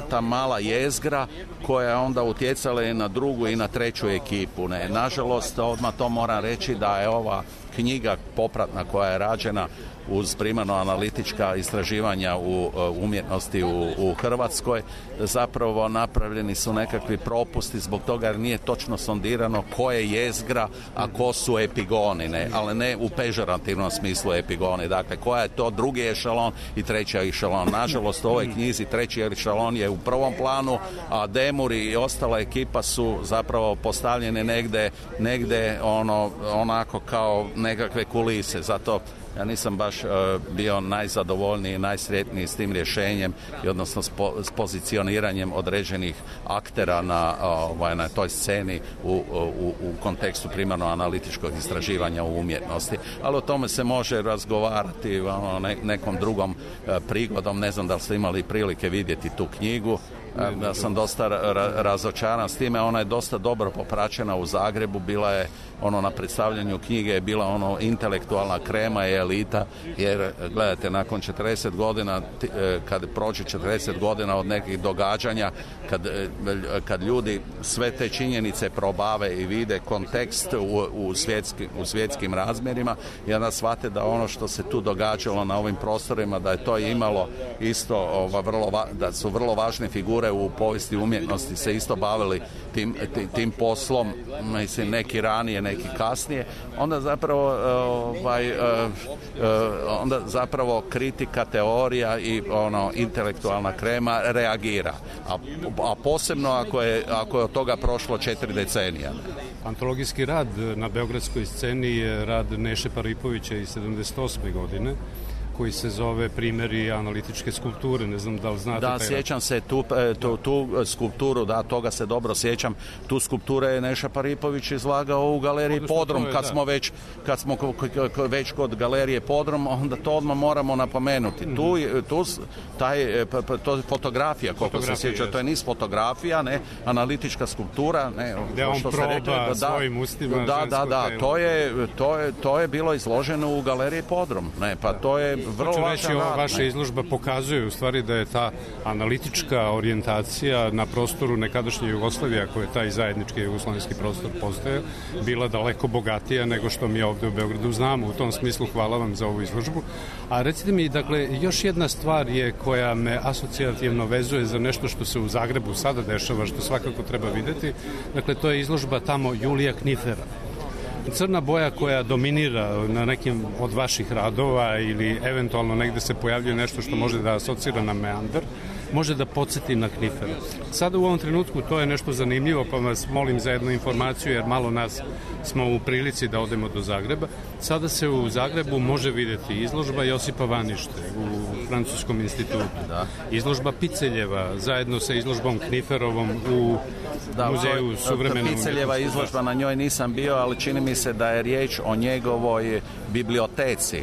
ta mala jezgra koja je onda utjecala i na drugu i na treću ekipu. Ne. Nažalost, odmah to moram reći da je ova knjiga popratna koja je rađena uz primarno analitička istraživanja u umjetnosti u, u Hrvatskoj, zapravo napravljeni su nekakvi propusti zbog toga jer nije točno sondirano ko je jezgra, a ko su epigoni, ne? Ali ne u pežorativnom smislu epigoni. Dakle, koja je to drugi ešalon i treći ešalon. Nažalost, u ovoj knjizi treći ešalon je u prvom planu, a Demur i ostala ekipa su zapravo postavljene negde, negde ono, onako kao nekakve kulise. Zato ja nisam baš uh, bio najzadovoljniji, najsretniji s tim rješenjem i odnosno s, po, s pozicioniranjem određenih aktera na, uh, na toj sceni u, u, u kontekstu primarno analitičkog istraživanja u umjetnosti. Ali o tome se može razgovarati ono, ne, nekom drugom uh, prigodom. Ne znam da li ste imali prilike vidjeti tu knjigu. Ja sam dosta ra- razočaran s time, ona je dosta dobro popraćena u Zagrebu, bila je ono na predstavljanju knjige je bila ono intelektualna krema i elita, jer gledajte, nakon četrdeset godina, kad prođe četrdeset godina od nekih događanja, kad, kad ljudi sve te činjenice probave i vide kontekst u, u, svjetski, u svjetskim razmjerima i onda shvate da ono što se tu događalo na ovim prostorima, da je to imalo isto, ova, vrlo, da su vrlo važne figure u povijesti umjetnosti se isto bavili tim, tim, tim poslom, mislim, neki ranije, neki kasnije, onda zapravo ovaj, onda zapravo kritika, teorija i ono intelektualna krema reagira. A, a posebno ako je, ako je od toga prošlo četiri decenija. Antologijski rad na beogradskoj sceni je rad Neše Paripovića iz sedamdeset osme godine, koji se zove Primjeri analitičke skulpture, ne znam da li znate. Da, sjećam se tu, tu, tu skulpturu, da, toga se dobro sjećam. Tu skulpture je Neša Paripović izlagao u galeriji Odnosno, Podrum, je, kad da. smo već kad smo već kod galerije Podrum, onda to odmah moramo napomenuti. Mm-hmm. Tu, tu taj, to je fotografija, koliko se sjeća, to je niz fotografija, ne, analitička skulptura, ne, gde on što proba rekli, da, svojim ustima. Da, da, da, to je, to, je, to je bilo izloženo u galeriji Podrum, ne, pa to je vrlo Hoću važan reći, rad. Vaša izložba pokazuje u stvari da je ta analitička orijentacija na prostoru nekadašnje Jugoslavije, ako je taj zajednički jugoslovenski prostor postoje, bila daleko bogatija nego što mi ovde u Beogradu znamo. U tom smislu hvala vam za ovu izložbu. A recite mi, dakle, još jedna stvar je koja me asocijativno vezuje za nešto što se u Zagrebu sada dešava, što svakako treba videti. Dakle, to je izložba tamo Julija Knifera. Crna boja koja dominira na nekim od vaših radova ili eventualno negde se pojavljuje nešto što može da asocira na meandar, može da podsjeti na Knifera. Sada u ovom trenutku to je nešto zanimljivo, pa vas molim za jednu informaciju, jer malo nas smo u prilici da odemo do Zagreba. Sada se u Zagrebu može vidjeti izložba Josipa Vanište u Francuskom institutu, da. Izložba Piceljeva zajedno sa izložbom Kniferovom u da, Muzeju suvremene Piceljeva izložba, na njoj nisam bio, ali čini mi se da je riječ o njegovoj biblioteci.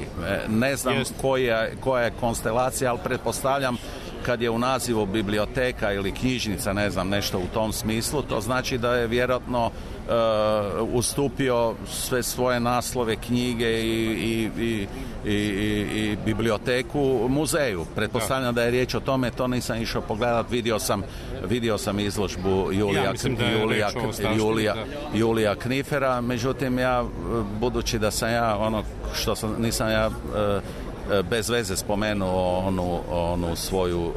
Ne znam koja, koja je konstelacija, ali pretpostavljam kad je u nazivu biblioteka ili knjižnica, ne znam, nešto u tom smislu, to znači da je vjerojatno uh, ustupio sve svoje naslove, knjige i, i, i, i, i biblioteku muzeju. Pretpostavljam da. da je riječ o tome, to nisam išao pogledat, vidio sam, vidio sam izložbu Julija, ja Julija, Julija, Julija Knifera, međutim ja, budući da sam ja ono što sam, nisam ja uh, bez veze spomenuo onu, onu svoju uh,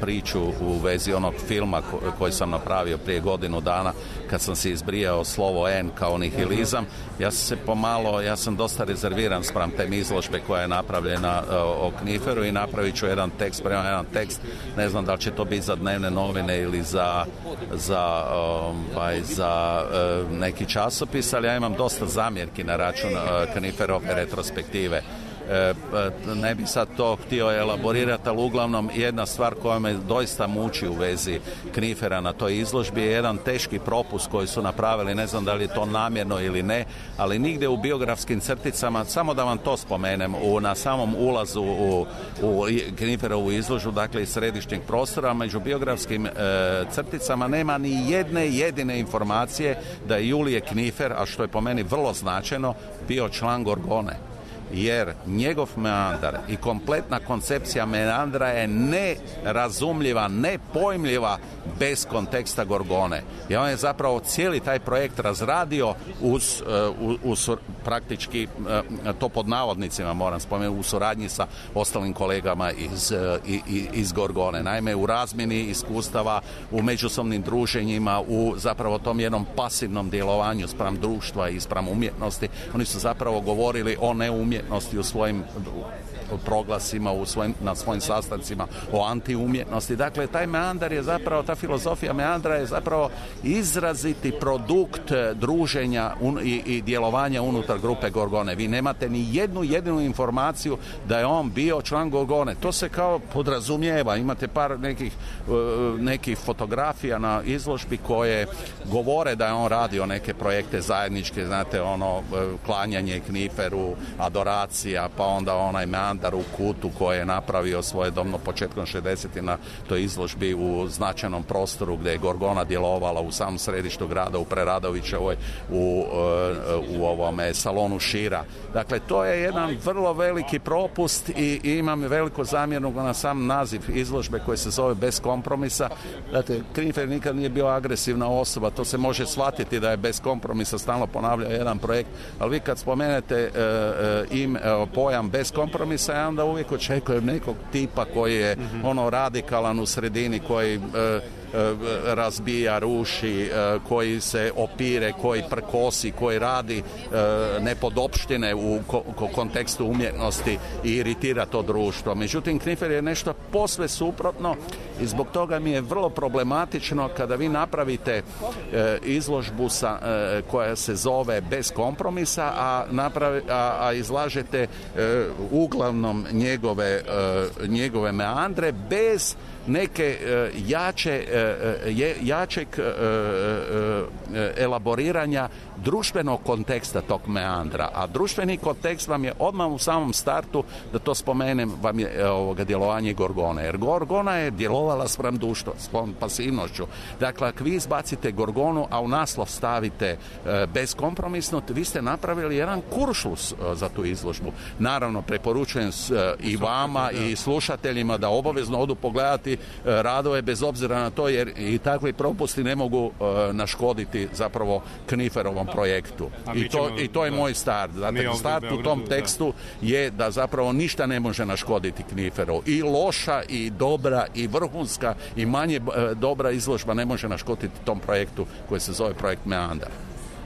priču u vezi onog filma ko, koji sam napravio prije godinu dana kad sam se izbrijao slovo N kao nihilizam. Ja sam se pomalo, ja sam dosta rezerviran spram te izložbe koja je napravljena uh, o Kniferu i napravit ću jedan tekst, prema jedan tekst, ne znam da li će to biti za dnevne novine ili za, za, um, za uh, neki časopis, ali ja imam dosta zamjerki na račun uh, Kniferove retrospektive. Ne bi sad to htio elaborirati, ali uglavnom jedna stvar koja me doista muči u vezi Knifera na toj izložbi je jedan teški propust koji su napravili, ne znam da li je to namjerno ili ne, ali nigdje u biografskim crticama, samo da vam to spomenem, u, na samom ulazu u, u Kniferovu izložbu, dakle iz središnjeg prostora, među biografskim e, crticama nema ni jedne jedine informacije da je Julije Knifer, a što je po meni vrlo značajno, bio član Gorgone. Jer njegov meandar i kompletna koncepcija meandra je nerazumljiva, nepojmljiva bez konteksta Gorgone. I on je zapravo cijeli taj projekt razradio uz, uz, uz praktički, to pod navodnicima moram spomenuti, u suradnji sa ostalim kolegama iz, iz Gorgone. Naime, u razmjeni iskustava, u međusobnim druženjima, u zapravo tom jednom pasivnom djelovanju spram društva i spram umjetnosti, oni su zapravo govorili o neumjetnosti umjetnosti u svojim proglasima, u svojim, na svojim sastancima o antiumjetnosti. Dakle, taj meandar je zapravo, ta filozofija meandra je zapravo izraziti produkt druženja un, i, i djelovanja unutar grupe Gorgone. Vi nemate ni jednu jedinu informaciju da je on bio član Gorgone. To se kao podrazumijeva. Imate par nekih, nekih fotografija na izložbi koje govore da je on radio neke projekte zajedničke, znate, ono, klanjanje Kniferu, adoracija, pa onda onaj meandar u kutu koje je napravio svojedobno početkom šezdesetih na toj izložbi u značajnom prostoru gdje je Gorgona djelovala u samom središtu grada, u Preradovićevoj, u, u ovome salonu Šira. Dakle, to je jedan vrlo veliki propust i, i imam veliku zamjernu na sam naziv izložbe koji se zove Bez kompromisa. Dakle, Knifer nikad nije bio agresivna osoba, to se može shvatiti da je bez kompromisa, stalno ponavljao jedan projekt, ali vi kad spomenete e, e, im, e, pojam bez kompromisa, ja onda uvijek očekujem nekog tipa koji je mm-hmm. ono radikalan u sredini, koji e, razbija, ruši, koji se opire, koji prkosi, koji radi nepodopštine u kontekstu umjetnosti i iritira to društvo. Međutim, Knifer je nešto posve suprotno i zbog toga mi je vrlo problematično kada vi napravite izložbu sa, koja se zove Bez kompromisa, a, napravi, a, a izlažete uglavnom njegove, njegove meandre bez neke uh, jače, uh, je, jačeg uh, uh, elaboriranja društvenog konteksta tog meandra. A društveni kontekst vam je odmah u samom startu, da to spomenem, vam je ovoga djelovanje Gorgone. Jer Gorgona je djelovala spram društva, spram pasivnošću. Dakle, ako vi izbacite Gorgonu, a u naslov stavite uh, beskompromisno, vi ste napravili jedan kuršlus uh, za tu izložbu. Naravno, preporučujem uh, i vama i slušateljima da obavezno odu pogledati radove bez obzira na to, jer i takvi propusti ne mogu uh, naškoditi zapravo Kniferovom projektu. I to, I to je da, moj start. Dakle, start u tom tekstu da. je da zapravo ništa ne može naškoditi Kniferu. I loša, i dobra, i vrhunska, i manje uh, dobra izložba ne može naškoditi tom projektu koji se zove projekt Meandar.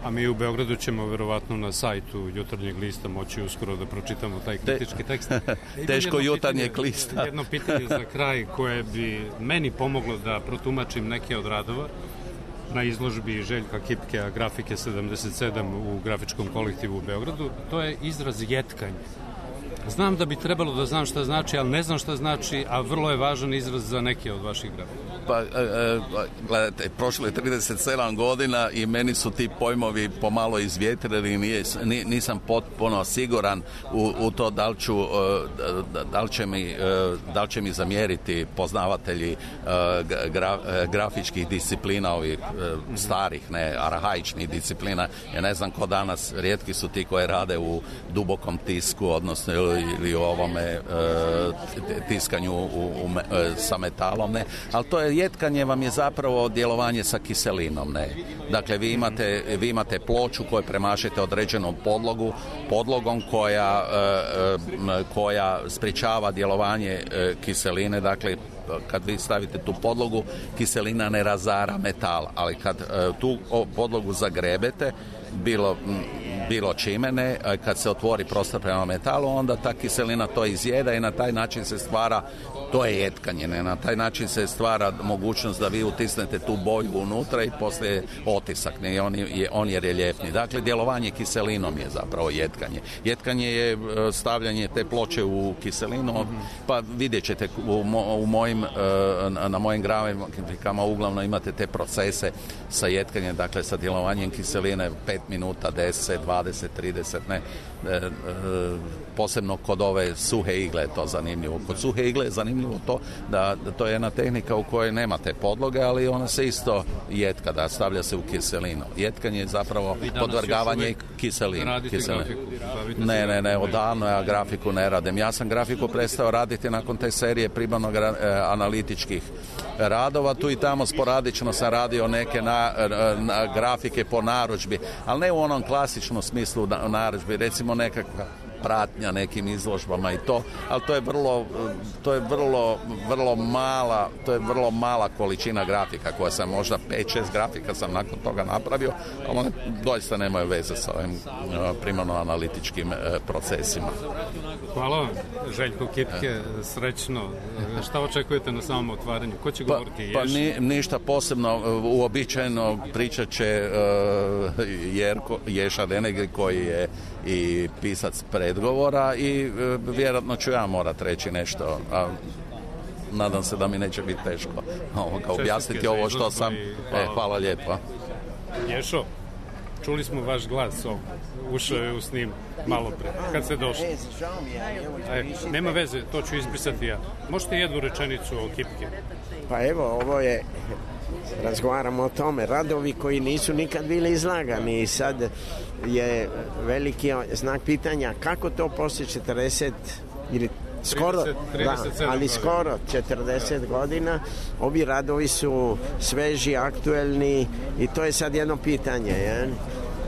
A mi u Beogradu ćemo verovatno na sajtu Jutarnjeg lista moći uskoro da pročitamo taj kritički tekst. Teško Jutarnjeg lista. Jedno pitanje za kraj koje bi meni pomoglo da protumačim neke od radova na izložbi Željka Kipkea grafike sedamdeset sedam u grafičkom kolektivu u Beogradu. To je izraz jetkanje. Znam da bi trebalo da znam šta znači, ali ne znam šta znači, a vrlo je važan izraz za neke od vaših grafika. Pa, e, e, gledajte, prošlo je trideset sedam godina i meni su ti pojmovi pomalo izvjetrili i nije, nisam potpuno siguran u, u to da li, ću, da, da, li će mi, da li će mi zamjeriti poznavatelji gra, grafičkih disciplina, ovih starih, ne, arhaičnih disciplina. Ja ne znam ko danas, rijetki su ti koji rade u dubokom tisku, odnosno ili, ili u ovome tiskanju u, u, sa metalom, ne, ali to je jetkanje vam je zapravo djelovanje sa kiselinom, ne. Dakle, vi imate, vi imate ploču koju premašete određenom podlogu, podlogom koja, koja sprječava djelovanje kiseline, dakle, kad vi stavite tu podlogu, kiselina ne razara metal, ali kad tu podlogu zagrebete, bilo, bilo čime ne, kad se otvori prostor prema metalu, onda ta kiselina to izjeda i na taj način se stvara, to je jetkanje, ne? Na taj način se stvara mogućnost da vi utisnete tu boju unutra i poslije otisak, ne? I on je, on je reljefni. Dakle, djelovanje kiselinom je zapravo jetkanje. Jetkanje je stavljanje te ploče u kiselinu, mm-hmm. pa vidjet ćete u, mo, u mojim, na mojim grafikama uglavnom imate te procese sa jetkanjem, dakle sa djelovanjem kiseline pet minuta, deset, dvadeset, trideset, ne, e, e, posebno kod ove suhe igle je to zanimljivo. Kod suhe igle je zanimljivo to da, da to je jedna tehnika u kojoj nemate podloge, ali ona se isto jetka, da stavlja se u kiselinu. Jetkanje je zapravo podvrgavanje kiselinu. Kiselinu. Ne, ne, ne, odavno ja grafiku ne radim. Ja sam grafiku prestao raditi nakon te serije primarno gra, e, analitičkih radova. Tu i tamo sporadično sam radio neke na, na, grafike po narudžbi, ali ne u onom klasičnom smislu na, narudžbi, recimo nekakva pratnja nekim izložbama i to, ali to je vrlo, to je vrlo, vrlo mala, to je vrlo mala količina grafika koja sam možda pet šest grafika sam nakon toga napravio, ali one doista nemaju veze sa ovim primarno-analitičkim procesima. Hvala vam, Željko Kipke, srećno. Šta očekujete na samom otvaranju? Ko će govoriti? Pa, pa ni, ništa posebno, uobičajeno pričat će uh, Jerko, Ješa Denegri koji je i pisac predgovora i uh, vjerojatno ću ja morat reći nešto, a nadam se da mi neće biti teško ovoga, objasniti ovo što sam. E, hvala lijepo. Ješo, čuli smo vaš glas ovdje. Ušao je u snim malo pre, kad ste došli. E, nema veze, to ću ispisati ja. Možete jednu rečenicu o Kipke? Pa evo, ovo je, razgovaramo o tome, radovi koji nisu nikad bili izlagani i sad je veliki znak pitanja kako to poslije četrdeset ili skoro, trideset, da, ali skoro četrdeset godina, ovi radovi su sveži, aktuelni i to je sad jedno pitanje, je?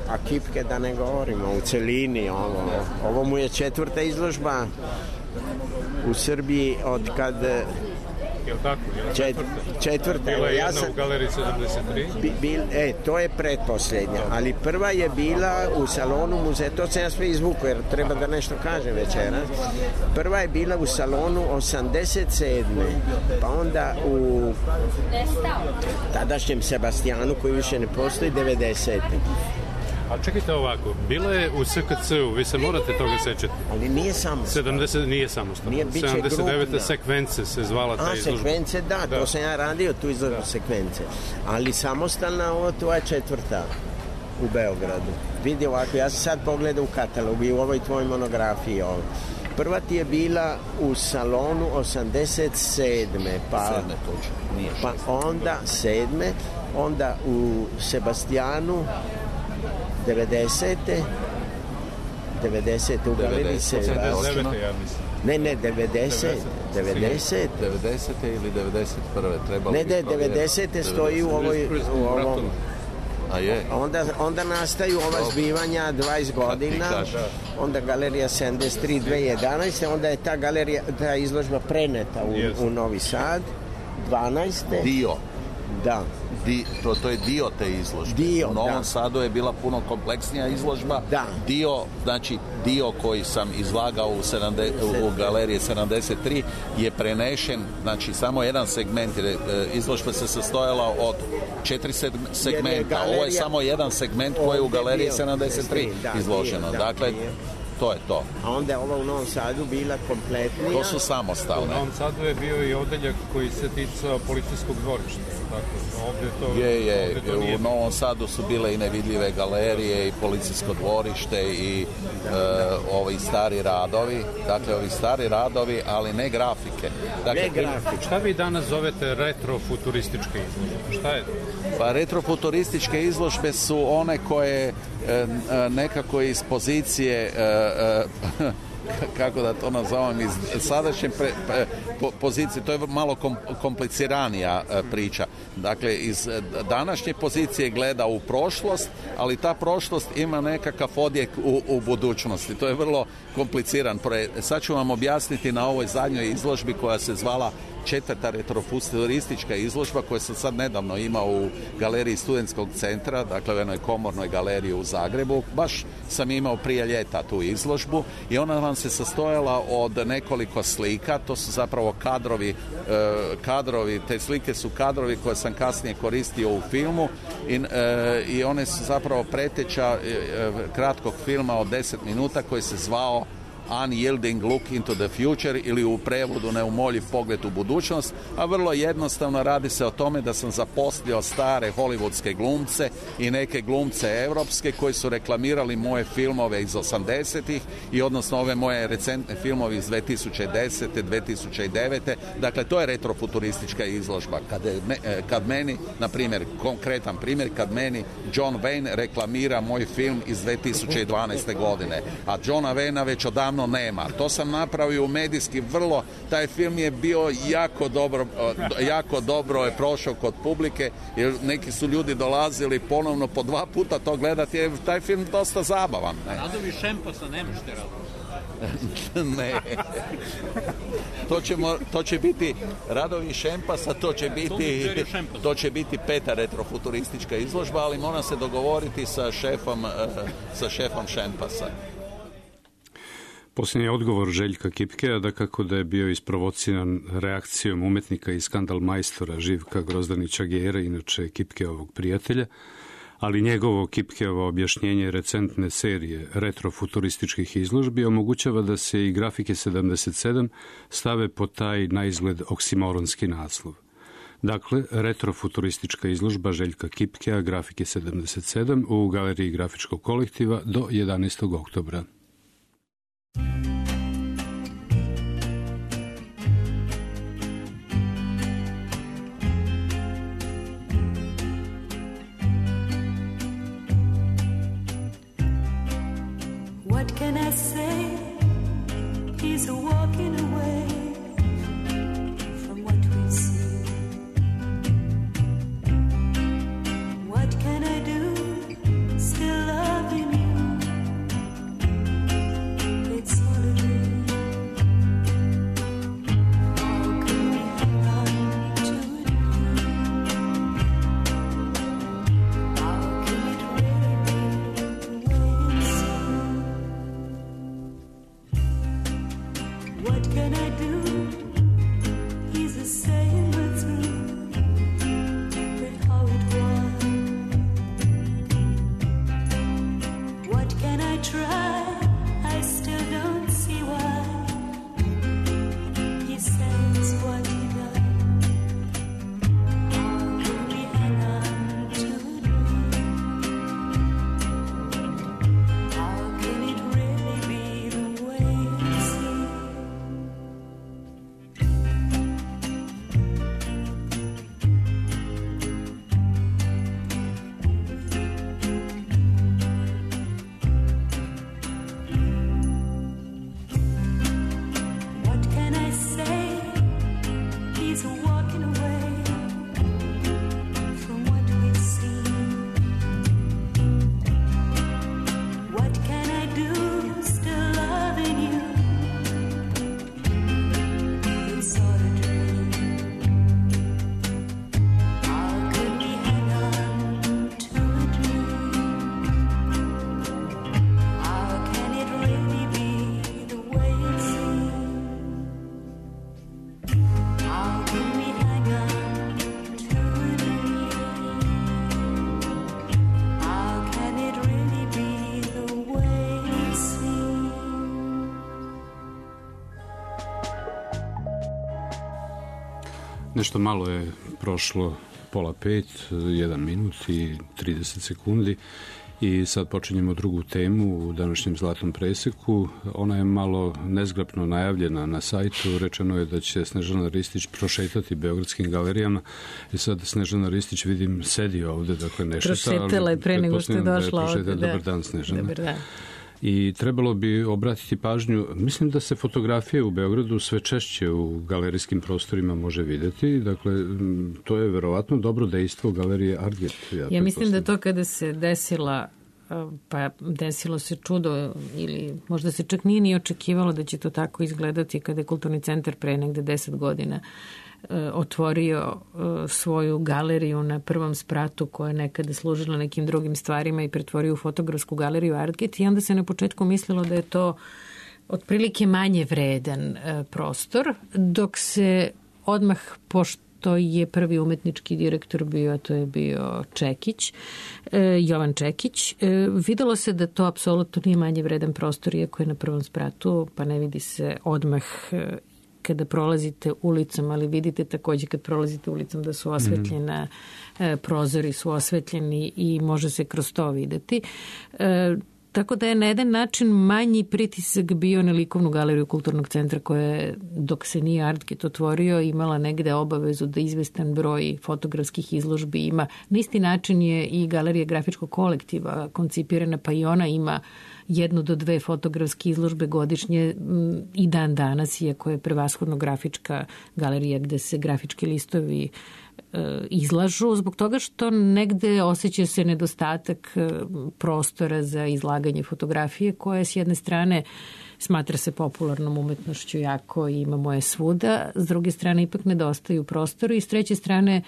A Kipke da ne govorimo u celini, ovo, ovo mu je četvrta izložba u Srbiji od kad... Jel tako? Jel Čet, četvrta. Bila je ja jedna sam, u Galeriji sedamdeset tri? Bi, bil, e, to je pretposljednja, ali prva je bila u salonu muzeja, to sam ja sve izvuku jer treba da nešto kažem večeras. Prva je bila u salonu osamdeset sedme pa onda u tadašnjem Sebastijanu koji više ne postoji devedesete A čekajte ovako, bila je u S K C-u, vi se morate toga sećati. Ali nije samostalno. sedamdeset nije samostalno. sedamdeset devete sekvence se zvala ta A, izložba. sekvence, da, da, to sam ja radio, tu izložbu da. sekvence. Ali samostalna, ovo to je četvrta u Beogradu. Vidi ovako, ja sam sad pogledao u katalogu i u ovoj tvojoj monografiji ovo. Prva ti je bila u salonu osamdeset sedme pa, sedme točno, nije pa onda sedme onda u Sebastijanu devedesete devedesete u galeriji se ne, ne, devedeset devedeset devedesete ili devedeset prve trebalo ne, ne, devedesete stoji u ovoj u ovom A je. Onda, onda nastaju ova zbivanja dvadeset godina, onda galerija sedamdeset tri dve hiljade jedanaeste onda je ta galerija, ta izložba preneta u, u Novi Sad, dvanaeste Dio. Da. Di, to, to je dio te izložbe. Dio, u Novom da. Sadu je bila puno kompleksnija izložba. Da. Dio, znači dio koji sam izlagao u, sedamdeset, u galeriji sedamdeset tri je prenešen, znači samo jedan segment, jer izložba se sastojala od četiri segmenta. Galerija... Ovo je samo jedan segment koji je u galeriji sedamdeset tri da, izloženo. Da, dakle, dio. To je to. A onda je ova u Novom Sadu bila kompletnija. To su samostalne. U Novom Sadu je bio i odeljak koji se ticao policijskog dvorišta. Tako, ovdje to, je, je. Ovdje to nije... U Novom Sadu su bile i nevidljive galerije i policijsko dvorište i e, ovi stari radovi. Dakle, ovi stari radovi, ali ne grafike. Dakle, ne grafike. Šta vi danas zovete retrofuturističke izložbe? Šta je to? Pa retrofuturističke izložbe su one koje e, nekako iz pozicije e, e, kako da to nazovem, iz sadašnje pre, pre, po, pozicije, to je malo kom, kompliciranija e, priča. Dakle, iz današnje pozicije gleda u prošlost, ali ta prošlost ima nekakav odjek u, u budućnosti. To je vrlo kompliciran projekt. Sad ću vam objasniti na ovoj zadnjoj izložbi koja se zvala četvrta retrofuturistička izložba koja sam sad nedavno imao u galeriji Studentskog centra, dakle u jednoj komornoj galeriji u Zagrebu. Baš sam imao prije ljeta tu izložbu i ona vam se sastojala od nekoliko slika, to su zapravo kadrovi, eh, kadrovi, te slike su kadrovi koje sam kasnije koristio u filmu i, eh, i one su zapravo preteča eh, kratkog filma od deset minuta koji se zvao Unyielding Look into the Future ili u prevodu Neumoljiv pogled u budućnost, a vrlo jednostavno radi se o tome da sam zaposlio stare hollywoodske glumce i neke glumce europske koji su reklamirali moje filmove iz osamdesetih i odnosno ove moje recentne filmove iz dve tisuće desete. dve tisuće devete. Dakle, to je retrofuturistička izložba. Kad, kad meni, na primjer, konkretan primjer, kad meni John Wayne reklamira moj film iz dve tisuće dvanaeste. godine, a Johna Wayna već odavno nema. To sam napravio u medijski vrlo, taj film je bio jako dobro, jako dobro je prošao kod publike, jer neki su ljudi dolazili ponovno po dva puta to gledati, jer taj film dosta zabavan. Radovi Šemposa ne možete raditi. Ne. To, ćemo, to će biti radovi Šempasa, to će biti, to će biti peta retrofuturistička izložba, ali mora se dogovoriti sa šefom, sa šefom Šempasa. Posljednji odgovor Željka Kipkea da kako da je bio isprovociran reakcijom umetnika i skandal majstora Živka Grozdanića Gere, inače Kipkeovog prijatelja, ali njegovo Kipkeovo objašnjenje recentne serije retrofuturističkih izložbi omogućava da se i grafike sedamdeset sedam stave pod taj na izgled oksimoronski naslov. Dakle, retrofuturistička izložba Željka Kipkea, grafike sedamdeset sedam u Galeriji grafičkog kolektiva do jedanaestog oktobra. What can I say? He's walking away from what we see. What can I do? Still loving you. It's all a dream. How can we hang on to a dream? How can it really be the way it seems? What can I do? He's a saying we're through, but how it was. What can I try? I still don't see why he says what he does. How can we hang on to a dream? How can it really be the way it seems? What can I say? He's walking away from what we've seen. What can I do? Still loving you. It's all a dream. How could we hang on to a dream? How can it really be the way it seems? How can we hang on to a dream? How can it really be the way it seems? Nešto malo je prošlo pola pet, jedan minut i trideset sekundi i sad počinjemo drugu temu u današnjem Zlatnom preseku. Ona je malo nezgrapno najavljena na sajtu. Rečeno je da će Snežana Ristić prošetati beogradskim galerijama i sad Snežana Ristić vidim sedi ovde, dakle nešto. Prošetala je pre nego što je došla ovde. Dobar dan, Snežana. Dobar dan. I trebalo bi obratiti pažnju, mislim da se fotografije u Beogradu sve češće u galerijskim prostorima može videti, dakle to je verovatno dobro dejstvo galerije Artget. Ja, ja mislim da to kada se desila, pa desilo se čudo ili možda se čak nije ni očekivalo da će to tako izgledati kada je Kulturni centar pre negde deset godina otvorio svoju galeriju na prvom spratu koja je nekada služila nekim drugim stvarima i pretvorio u fotografsku galeriju Artget i onda se na početku mislilo da je to otprilike manje vredan prostor, dok se odmah, pošto je prvi umetnički direktor bio, a to je bio Čekić, Jovan Čekić, videlo se da to apsolutno nije manje vredan prostor, iako je na prvom spratu, pa ne vidi se odmah kada prolazite ulicom, ali vidite takođe kad prolazite ulicom da su osvetljena, mm. prozori su osvetljeni i može se kroz to videti. E, tako da je na jedan način manji pritisak bio na likovnu galeriju Kulturnog centra koja je, dok se nije Artget otvorio, imala negde obavezu da izvestan broj fotografskih izložbi ima. Na isti način je i galerija grafičkog kolektiva koncipirana, pa i ona ima jednu do dve fotografske izložbe godišnje i dan danas, iako je prevashodno grafička galerija gde se grafički listovi izlažu, zbog toga što negde osjeća se nedostatak prostora za izlaganje fotografije, koja s jedne strane smatra se popularnom umetnošću jako i imamo je svuda, s druge strane ipak nedostaju prostori i s treće strane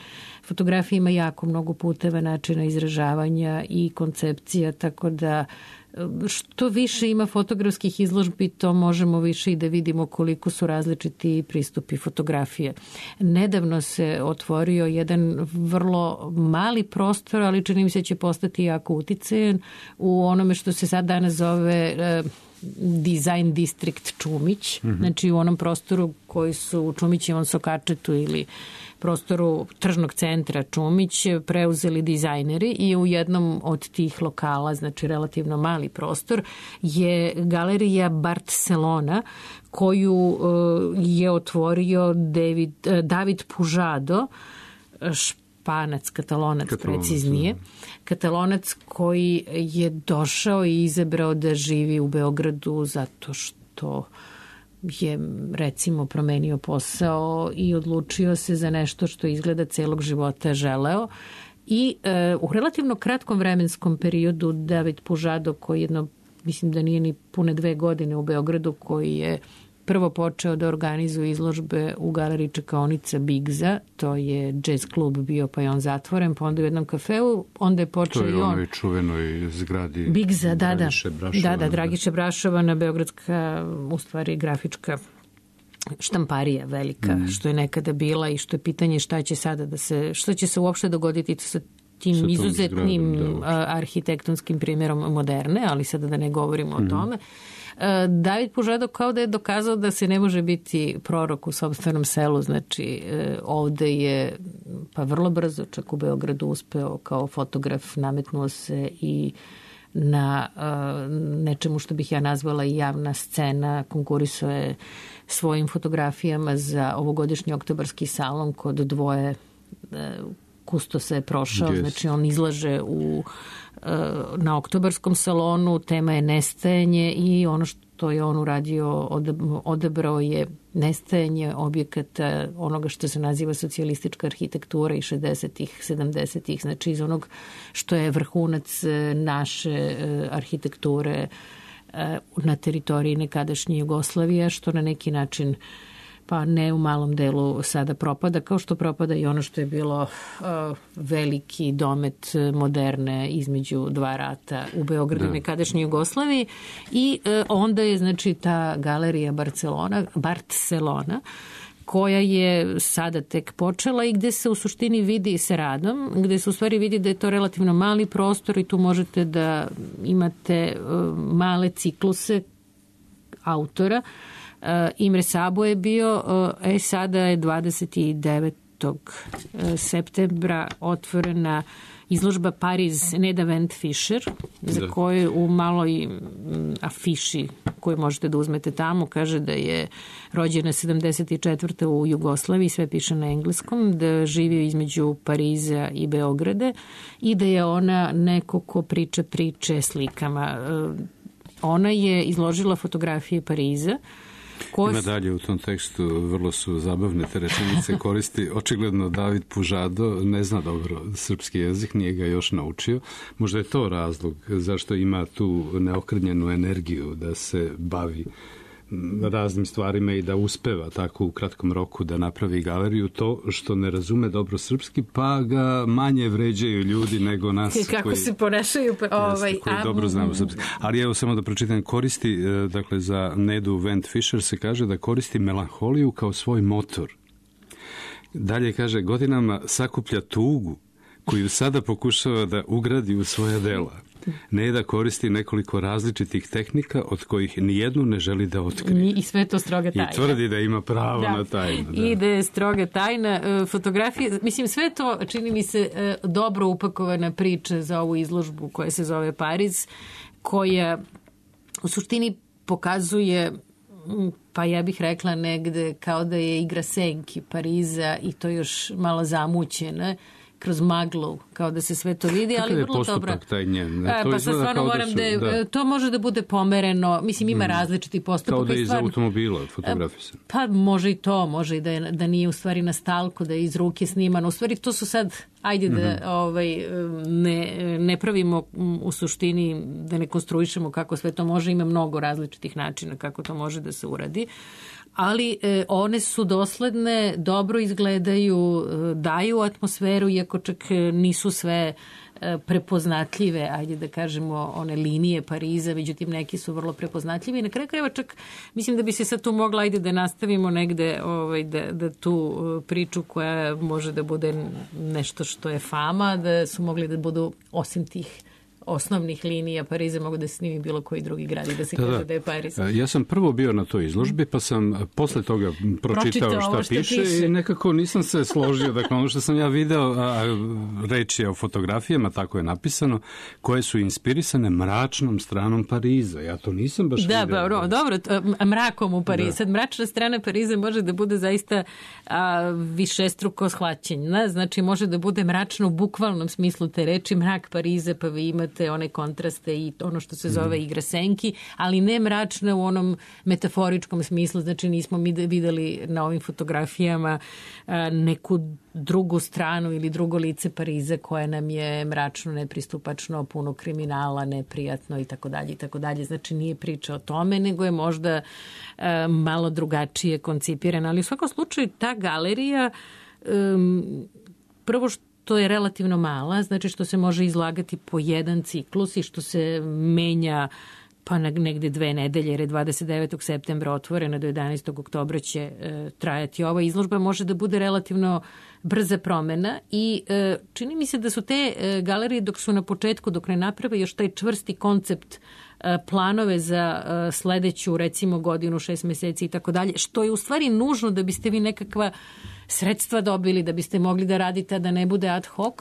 fotografija ima jako mnogo puteva, načina izražavanja i koncepcija, tako da što više ima fotografskih izložbi, to možemo više i da vidimo koliko su različiti pristupi fotografije. Nedavno se otvorio jedan vrlo mali prostor, ali čini mi se će postati jako uticajan u onome što se sad danas zove Design District Čumić, mm-hmm. znači u onom prostoru koji su u Čumićevom Sokačetu ili prostoru tržnog centra Čumić preuzeli dizajneri i u jednom od tih lokala, znači relativno mali prostor, je galerija Barcelona koju je otvorio David, David Pužado, Španac, Katalonac, Katalonac preciznije. Da. Katalonac koji je došao i izabrao da živi u Beogradu zato što je recimo promenio posao i odlučio se za nešto što izgleda celog života želeo. I e, u relativno kratkom vremenskom periodu David Pužado, koji jedno, mislim da nije ni pune dve godine u Beogradu, koji je prvo počeo da organizuje izložbe u galeriji čekaonica Bigza, to je jazz klub bio, pa je on zatvoren, pa onda u jednom kafeu, onda je počeo i on. To je onoj čuvenoj zgradi Bigza, da, da, Brašova, da, da, Dragiše Brašova, na beogradska, u stvari grafička štamparija velika, mm. što je nekada bila i što je pitanje šta će sada da se, šta će se uopšte dogoditi sa tim sa izuzetnim zgradom, da, arhitektonskim primjerom moderne, ali sada da ne govorimo mm. o tome. David Pužado kao da je dokazao da se ne može biti prorok u sopstvenom selu, znači ovde je pa vrlo brzo čak u Beogradu uspeo kao fotograf, nametnuo se i na nečemu što bih ja nazvala i javna scena, konkurisao je svojim fotografijama za ovogodišnji oktobarski salon kod dvoje kustosa je prošao, yes. znači on izlaže u na oktobarskom salonu, tema je nestajanje i ono što je on uradio, odabrao je nestajanje objekata onoga što se naziva socijalistička arhitektura iz šezdesetih, sedamdesetih, znači iz onog što je vrhunac naše arhitekture na teritoriji nekadašnje Jugoslavije, što na neki način pa ne u malom delu sada propada, kao što propada i ono što je bilo uh, veliki domet moderne između dva rata u Beogradu i nekadašnjoj Jugoslaviji. I uh, onda je, znači, ta galerija Barcelona, Barcelona, koja je sada tek počela i gde se u suštini vidi sa radom, gde se u stvari vidi da je to relativno mali prostor i tu možete da imate uh, male cikluse autora. Uh, Imre Sabo je bio, uh, e sada je dvadeset devetog septembra otvorena izložba Pariz Neda Vent Fischer, za da. koju u maloj afiši koju možete da uzmete tamo kaže da je rođena sedamdeset četvrte u Jugoslaviji, sve piše na engleskom, da živi između Pariza i Beograda i da je ona neko ko priča priče slikama. Uh, ona je izložila fotografije Pariza. Ko... Ima dalje u tom tekstu, vrlo su zabavne te rečenice, koristi, očigledno David Pužado ne zna dobro srpski jezik, nije ga još naučio. Možda je to razlog zašto ima tu neokrnjenu energiju da se bavi raznim stvarima i da uspeva tako u kratkom roku da napravi galeriju, to što ne razume dobro srpski, pa ga manje vređaju ljudi nego nas kako koji, se ponašaju ovaj, koji a... dobro znamo srpski. Ali evo samo da pročitam, koristi, dakle za Nedu Vent Fischer se kaže da koristi melanholiju kao svoj motor. Dalje kaže, godinama sakuplja tugu koju sada pokušava da ugradi u svoja dela. Neda koristi nekoliko različitih tehnika od kojih nijednu ne želi da otkrije. I sve to stroga tajna. I tvrdi da ima pravo da. na tajnu. Da. I da je stroga tajna. Fotografije, mislim, sve to čini mi se dobro upakovana priča za ovu izložbu koja se zove Pariz, koja u suštini pokazuje, pa ja bih rekla negde kao da je igra senki Pariza i to još malo zamućena kroz maglu, kao da se sve to vidi, Kakav ali je vrlo dobro. postupak taj njen? E, To pa sad izgleda stvarno kao da moram su- da, je, da. to može da bude pomereno, mislim ima Mm. različiti postupak. Kao da je i iz stvarno- automobila fotografisan. Pa može i to, može i da, je, da nije u stvari na stalku, da je iz ruke snimano. U stvari to su sad, ajde da Mhm. ovaj, ne, ne pravimo m, u suštini, da ne konstruišemo kako sve to može, ima mnogo različitih načina kako to može da se uradi. Ali e, one su dosledne, dobro izgledaju, e, daju atmosferu, iako čak e, nisu sve e, prepoznatljive, ajde da kažemo, one linije Pariza, međutim neki su vrlo prepoznatljivi. I na kraju krajeva čak, mislim da bi se sad tu mogla, ajde da nastavimo negde ovaj, da, da tu e, priču koja može da bude nešto što je fama, da su mogli da budu osim tih osnovnih linija Pariza, mogu da se snimi bilo koji drugi grad i da se Da, kaže da. da je Pariz. Ja sam prvo bio na toj izložbi, pa sam posle toga pročitao Pročitao šta, ovo što piše, piše. i nekako nisam se složio. Dakle, ono što sam ja video, a, reč je o fotografijama, tako je napisano, koje su inspirisane mračnom stranom Pariza. Ja to nisam baš Da, video. dobro, dobro, to, m- mrakom u Parizu. Da. Sad, mračna strana Pariza može da bude zaista a, višestruko shvaćenja. Znači, može da bude mračno u bukvalnom smislu te reči, mrak Pariza, pa vi imate one kontraste i ono što se zove igra senki, ali ne mračna u onom metaforičkom smislu. Znači, nismo mi videli na ovim fotografijama a, neku drugu stranu ili drugo lice Pariza koje nam je mračno, nepristupačno, puno kriminala, neprijatno i tako dalje i tako dalje. Znači nije priča o tome, nego je možda e, malo drugačije koncipirana. Ali u svakom slučaju ta galerija um, prvo što je relativno mala, znači što se može izlagati po jedan ciklus i što se menja pa negde dve nedelje, jer je dvadeset devetog septembra otvorena, do jedanaestog oktobra će e, trajati ova izložba, može da bude relativno brza promena i e, čini mi se da su te e, galerije dok su na početku, dok ne naprave još taj čvrsti koncept, e, planove za e, sledeću recimo godinu, šest meseci i tako dalje, što je u stvari nužno da biste vi nekakva sredstva dobili, da biste mogli da radite, a da ne bude ad hoc.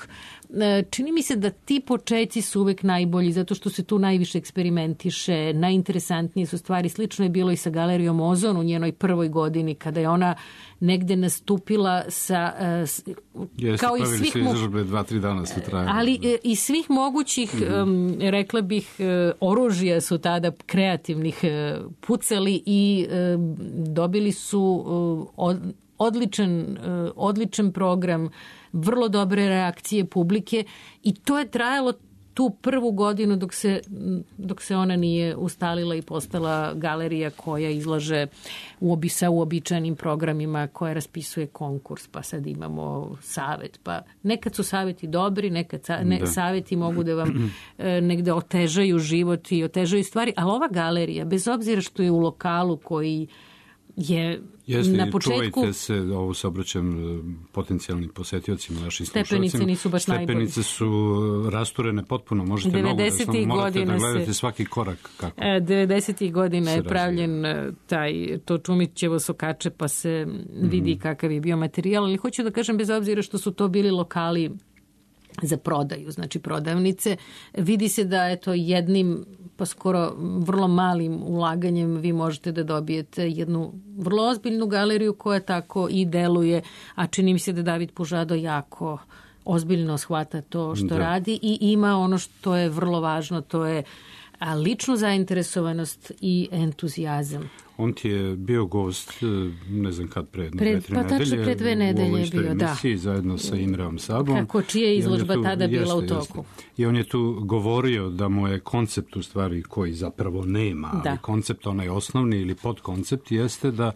E, čini mi se da ti početci su uvek najbolji, zato što se tu najviše eksperimentiše, najinteresantnije su stvari. Slično je bilo i sa galerijom Ozon u njenoj prvoj godini, kada je ona negde nastupila sa e, s- Jeste, kao i pravili svih se mo- izložbe dva, tri dana su trajali. ali e, i svih mogućih, em, rekla bih, e, oružja su tada kreativnih e, pucali i e, dobili su e, od, odličan, e, odličan program, vrlo dobre reakcije publike i to je trajalo tu prvu godinu dok se, dok se ona nije ustalila i postala galerija koja izlaže uobi, sa uobičajenim programima, koja raspisuje konkurs, pa sad imamo savet. Pa nekad su saveti dobri, nekad sa, ne, Da. saveti mogu da vam e, negde otežaju život i otežaju stvari, ali ova galerija, bez obzira što je u lokalu koji je Jeste, na početku... čuvajte se, ovo se obraćam e, potencijalnim posetiocima, našim Stepenice slušalcima. nisu baš najbolje. Stepenice su e, rasturene potpuno, možete nogu da devedesetih samo morate da godina gledate se- svaki korak kako. E, devedesetih godina se je razvija. pravljen e, taj, to Čumićevo sokače, pa se vidi Mhm. kakav je bio materijal, ali hoću da kažem, bez obzira što su to bili lokali za prodaju, znači prodavnice, vidi se da je to jednim, pa skoro vrlo malim ulaganjem vi možete da dobijete jednu vrlo ozbiljnu galeriju koja tako i deluje, a čini mi se da David Pužado jako ozbiljno shvata to što Da. radi i ima ono što je vrlo važno, to je a, ličnu zainteresovanost i entuzijazam. On ti je bio gost, e, ne znam kad, pre jedno Pred- dve, tri pa tačno nedelje. pre dve u nedelje ovoj je istoj bio, da. emisiji, zajedno sa Imreom Sabom. Kako, čija je I on izložba tu- tada bila u jeste, toku. jeste. I on je tu govorio da mu je koncept u stvari koji zapravo nema, ali Da. koncept onaj osnovni ili podkoncept jeste da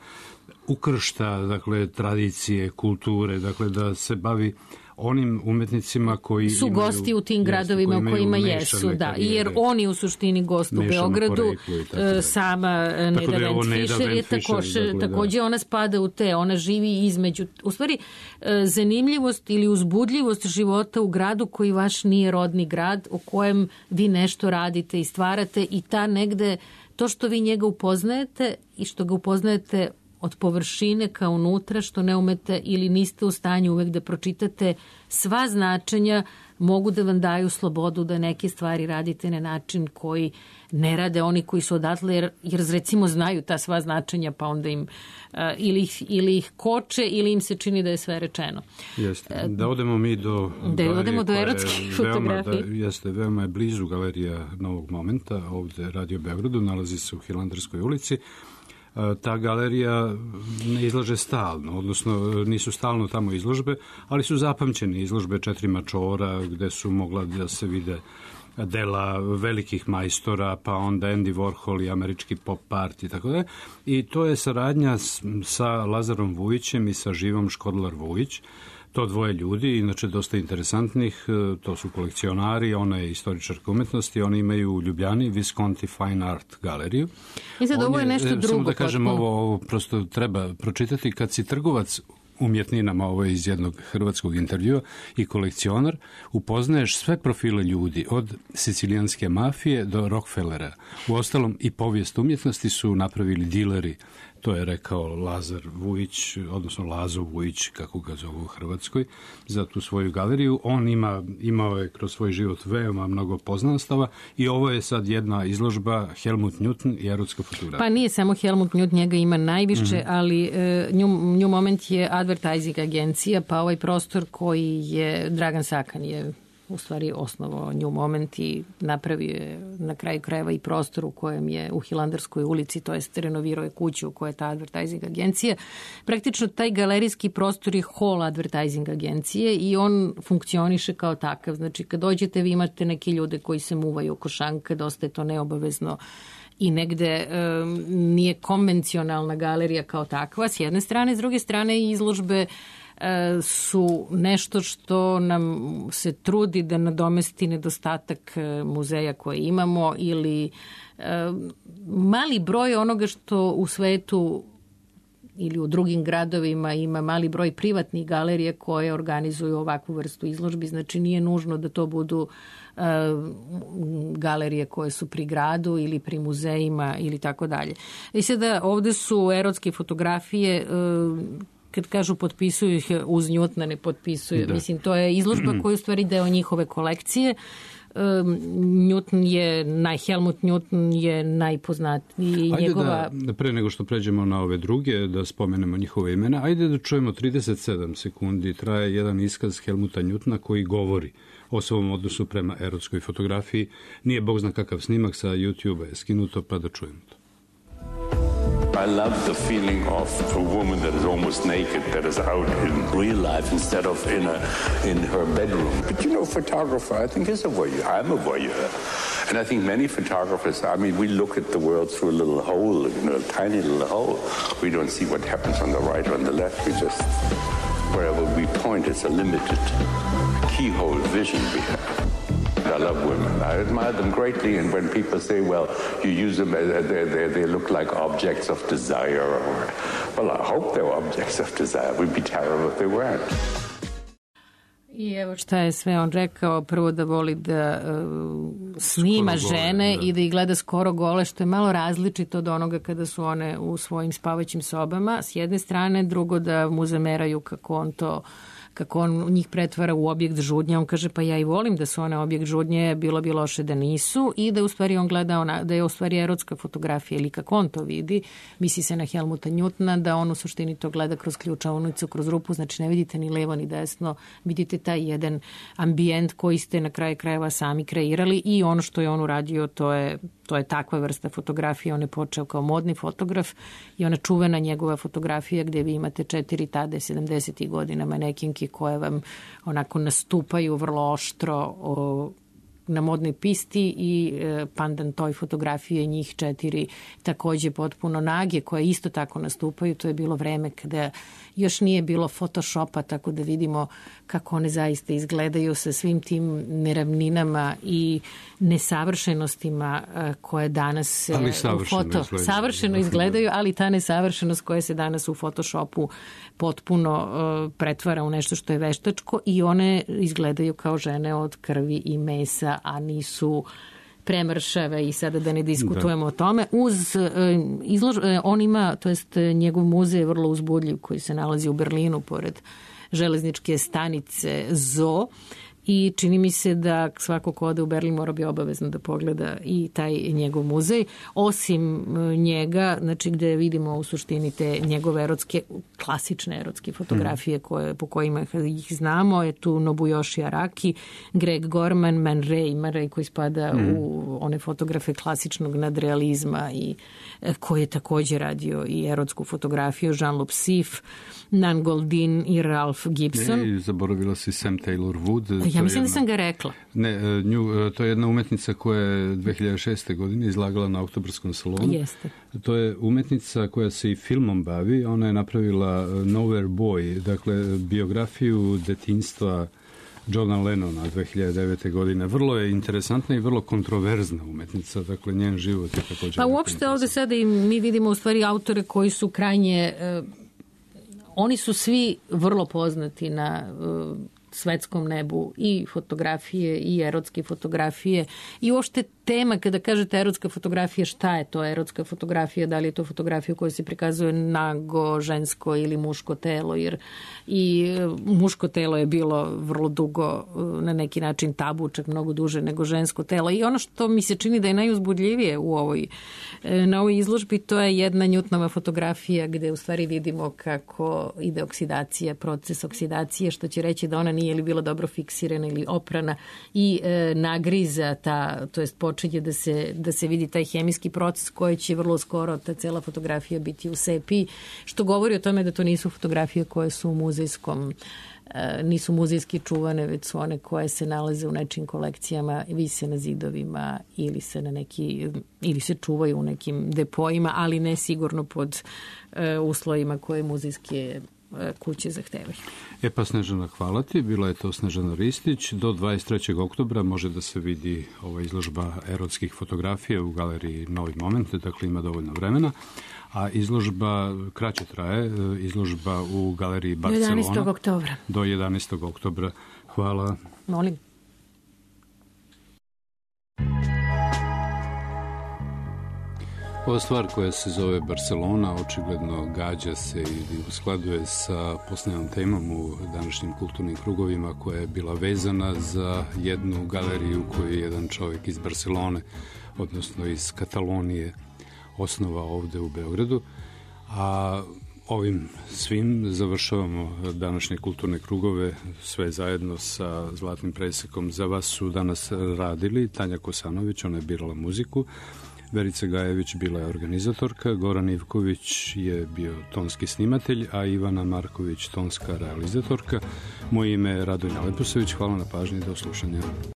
ukršta, dakle, tradicije, kulture, dakle, da se bavi onim umetnicima koji Su imaju, gosti u tim jeste, gradovima koji u kojima imaju jesu, mešane da, karijere. jer on je u suštini gost u Mešano Beogradu, poreklo i tako e, dalje. sama e, Tako Neda da je ovo Vent Neda Fischer je Vent Fischer, takođe, dakle, da. takođe ona spada u te, ona živi između, u stvari e, zanimljivost ili uzbudljivost života u gradu koji vaš nije rodni grad, u kojem vi nešto radite i stvarate i ta negde, to što vi njega upoznajete i što ga upoznajete od površine ka unutra, što ne umete ili niste u stanju uvek da pročitate sva značenja, mogu da vam daju slobodu da neke stvari radite na način koji ne rade oni koji su odatle, jer, jer recimo znaju ta sva značenja, pa onda im uh, ili, ih, ili ih koče ili im se čini da je sve rečeno. Jeste. Da odemo mi do da odemo do erotskih fotografija. Da, jeste, veoma je blizu galerija Novog momenta, ovde Radio Beogradu, nalazi se u Hilandarskoj ulici. Ta galerija ne izlaže stalno, odnosno nisu stalno tamo izložbe, ali su zapamćene izložbe Četiri mačora, gde su mogla da se vide dela velikih majstora, pa onda Andy Warhol i američki pop art i tako da. I to je saradnja sa Lazarom Vujićem i sa Živom Škodlar-Vujić. To dvoje ljudi, inače dosta interesantnih, to su kolekcionari, ona je istoričarka umetnosti, oni imaju u Ljubljani Visconti Fine Art galeriju. I sad ovo je nešto drugo. Samo da kažem, ovo, ovo prosto treba pročitati. Kad si trgovac umjetninama, ovo je iz jednog hrvatskog intervjua, i kolekcionar, upoznaješ sve profile ljudi, od sicilijanske mafije do Rockefellera. U ostalom i povijest umjetnosti su napravili dileri. To je rekao Lazar Vujić, odnosno Lazo Vujić, kako ga zovu u Hrvatskoj, za tu svoju galeriju. On ima, imao je kroz svoj život veoma mnogo poznanstava i ovo je sad jedna izložba Helmut Newton i erotska fotografija. Pa nije samo Helmut Newton, njega ima najviše, mm-hmm. ali e, New, New Moment je advertising agencija, pa ovaj prostor koji je Dragan Sakan je u stvari osnovao New Moment i napravio je na kraju krajeva i prostor u kojem je u Hilandarskoj ulici, to jest renovirao je kuću u kojoj je ta advertising agencija. Praktično taj galerijski prostor je hall advertising agencije i on funkcioniše kao takav. Znači kad dođete vi imate neke ljude koji se muvaju oko šanka, dosta je to neobavezno i negde um, nije konvencionalna galerija kao takva s jedne strane, s druge strane izložbe su nešto što nam se trudi da nadomesti nedostatak muzeja koje imamo ili mali broj onoga što u svetu ili u drugim gradovima ima mali broj privatnih galerija koje organizuju ovakvu vrstu izložbi. Znači nije nužno da to budu uh, galerije koje su pri gradu ili pri muzejima ili tako dalje. I sada ovde su erotske fotografije uh, kad kažu potpisuju ih uz Newtona, ne potpisuju. Da. Mislim, to je izložba koja je u stvari deo njihove kolekcije. Um, Newton je, naj, Helmut Newton je najpoznatiji. Ajde njegova... da, pre nego što pređemo na ove druge, da spomenemo njihove imena, ajde da čujemo trideset sedam sekundi, traje jedan iskaz Helmuta Newtona koji govori o svom odnosu prema erotskoj fotografiji. Nije bog zna kakav snimak, sa YouTube-a je skinuto, pa da čujemo to. I love the feeling of a woman that is almost naked, that is out in real life instead of in a in her bedroom. But you know, photographer, I think, is a voyeur. I'm a voyeur. And I think many photographers, I mean, we look at the world through a little hole, you know, a tiny little hole. We don't see what happens on the right or on the left. We just, wherever we point, it's a limited keyhole vision we have. I love women. I admire them greatly, and when people say, well, you use them, they, they, they look like objects of desire, or, well, I hope they're objects of desire. It would be terrible if they weren't. I evo šta je sve on rekao, prvo da voli da uh, snima skoro žene gole, da. I da ih gleda skoro gole, što je malo različito od onoga kada su one u svojim spavaćim sobama, s jedne strane, drugo da mu zameraju kako on to kako on njih pretvara u objekt žudnje. On kaže, pa ja i volim da su one objekt žudnje, bilo bi loše da nisu, i da u stvari on gleda ona, da je u stvari erotska fotografija, ili kako on to vidi, misli se na Helmuta Newtona, da on u suštini to gleda kroz ključavnicu, kroz rupu, znači ne vidite ni levo ni desno, vidite taj jedan ambijent koji ste na kraju krajeva sami kreirali, i ono što je on uradio, to je To je takva vrsta fotografije. On je počeo kao modni fotograf i ona čuvena njegova fotografija gde vi imate četiri tada sedamdesetih godina manekinki koje vam onako nastupaju vrlo oštro o, na modnoj pisti, i e, pandan toj fotografije njih četiri takođe potpuno nage koje isto tako nastupaju. To je bilo vreme kada još nije bilo Photoshopa, tako da vidimo kako one zaista izgledaju sa svim tim neravninama i nesavršenostima koje danas ali u foto savršeno izgledaju, ali ta nesavršenost koja se danas u Photoshopu potpuno uh, pretvara u nešto što je veštačko, i one izgledaju kao žene od krvi i mesa, a nisu premršave, i sada da ne diskutujemo da. o tome. Uz uh, izlož, uh, on ima, to jest njegov muzej je vrlo uzbudljiv, koji se nalazi u Berlinu pored železničke stanice Zoo, i čini mi se da svako ko ode u Berlin mora bi obavezno da pogleda i taj njegov muzej. Osim njega, znači gde vidimo u suštini te njegove erotske, klasične erotske fotografije koje, po kojima ih znamo, je tu Nobuyoshi Araki, Greg Gorman, Man Ray, Man Ray koji spada mm. u one fotografe klasičnog nadrealizma i koji je također radio i erotsku fotografiju, Jean-Luc Sif, Nan Goldin i Ralph Gibson. Ne, zaboravila si Sam Taylor Wood. Ja mislim jedna, da sam ga rekla. Ne, nju, to je jedna umetnica koja je dve hiljade šeste. godine izlagala na Oktobarskom salonu. Jeste. To je umetnica koja se i filmom bavi. Ona je napravila Nowhere Boy, dakle biografiju detinjstva Johna Lennona dve hiljade devete. godine. Vrlo je interesantna i vrlo kontroverzna umetnica, dakle njen život je također... Pa uopšte ovde sada i mi vidimo u stvari autore koji su krajnje... Uh, oni su svi vrlo poznati na uh, svetskom nebu i fotografije i erotske fotografije i uopšte tema kada kažete erotska fotografija, šta je to erotska fotografija, da li je to fotografija u kojoj se prikazuje nago, žensko ili muško telo, jer i muško telo je bilo vrlo dugo na neki način tabu, čak mnogo duže nego žensko telo. I ono što mi se čini da je najuzbudljivije u ovoj, na ovoj izložbi, to je jedna Newtonova fotografija gde u stvari vidimo kako ide oksidacija, proces oksidacije, što će reći da ona nije ili bila dobro fiksirana ili oprana i e, nagriza ta, to jest počinje da se, da se vidi taj hemijski proces koji će vrlo skoro ta cela fotografija biti u sepiji, što govori o tome da to nisu fotografije koje su u muzejskom, e, nisu muzejski čuvane, već su one koje se nalaze u nečim kolekcijama, vise na zidovima ili se na neki, ili se čuvaju u nekim depojima, ali ne sigurno pod e, uslovima koje muzejske kuće zahtevaju. E pa Snežana, hvala ti. Bila je to Snežana Ristić. Do dvadeset trećeg oktobra može da se vidi ova izložba erotskih fotografija u galeriji Novi moment, dakle ima dovoljno vremena. A izložba kraće traje, izložba u galeriji Barcelona. Do jedanaestog oktobra. Do jedanaestog oktobra. Hvala. Molim. Ova stvar koja se zove Barcelona očigledno gađa se i uskladuje sa posljednjom temom u današnjim kulturnim krugovima koja je bila vezana za jednu galeriju koju je jedan čovjek iz Barcelone, odnosno iz Katalonije, osnovao ovde u Beogradu. A ovim svim završavamo današnje kulturne krugove, sve zajedno sa Zlatnim presekom. Za vas su danas radili Tanja Kosanović, ona je birala muziku, Verica Gajević bila je organizatorka, Goran Ivković je bio tonski snimatelj, a Ivana Marković tonska realizatorka. Moje ime je Radonja Lepusević, hvala na pažnji, do slušanja.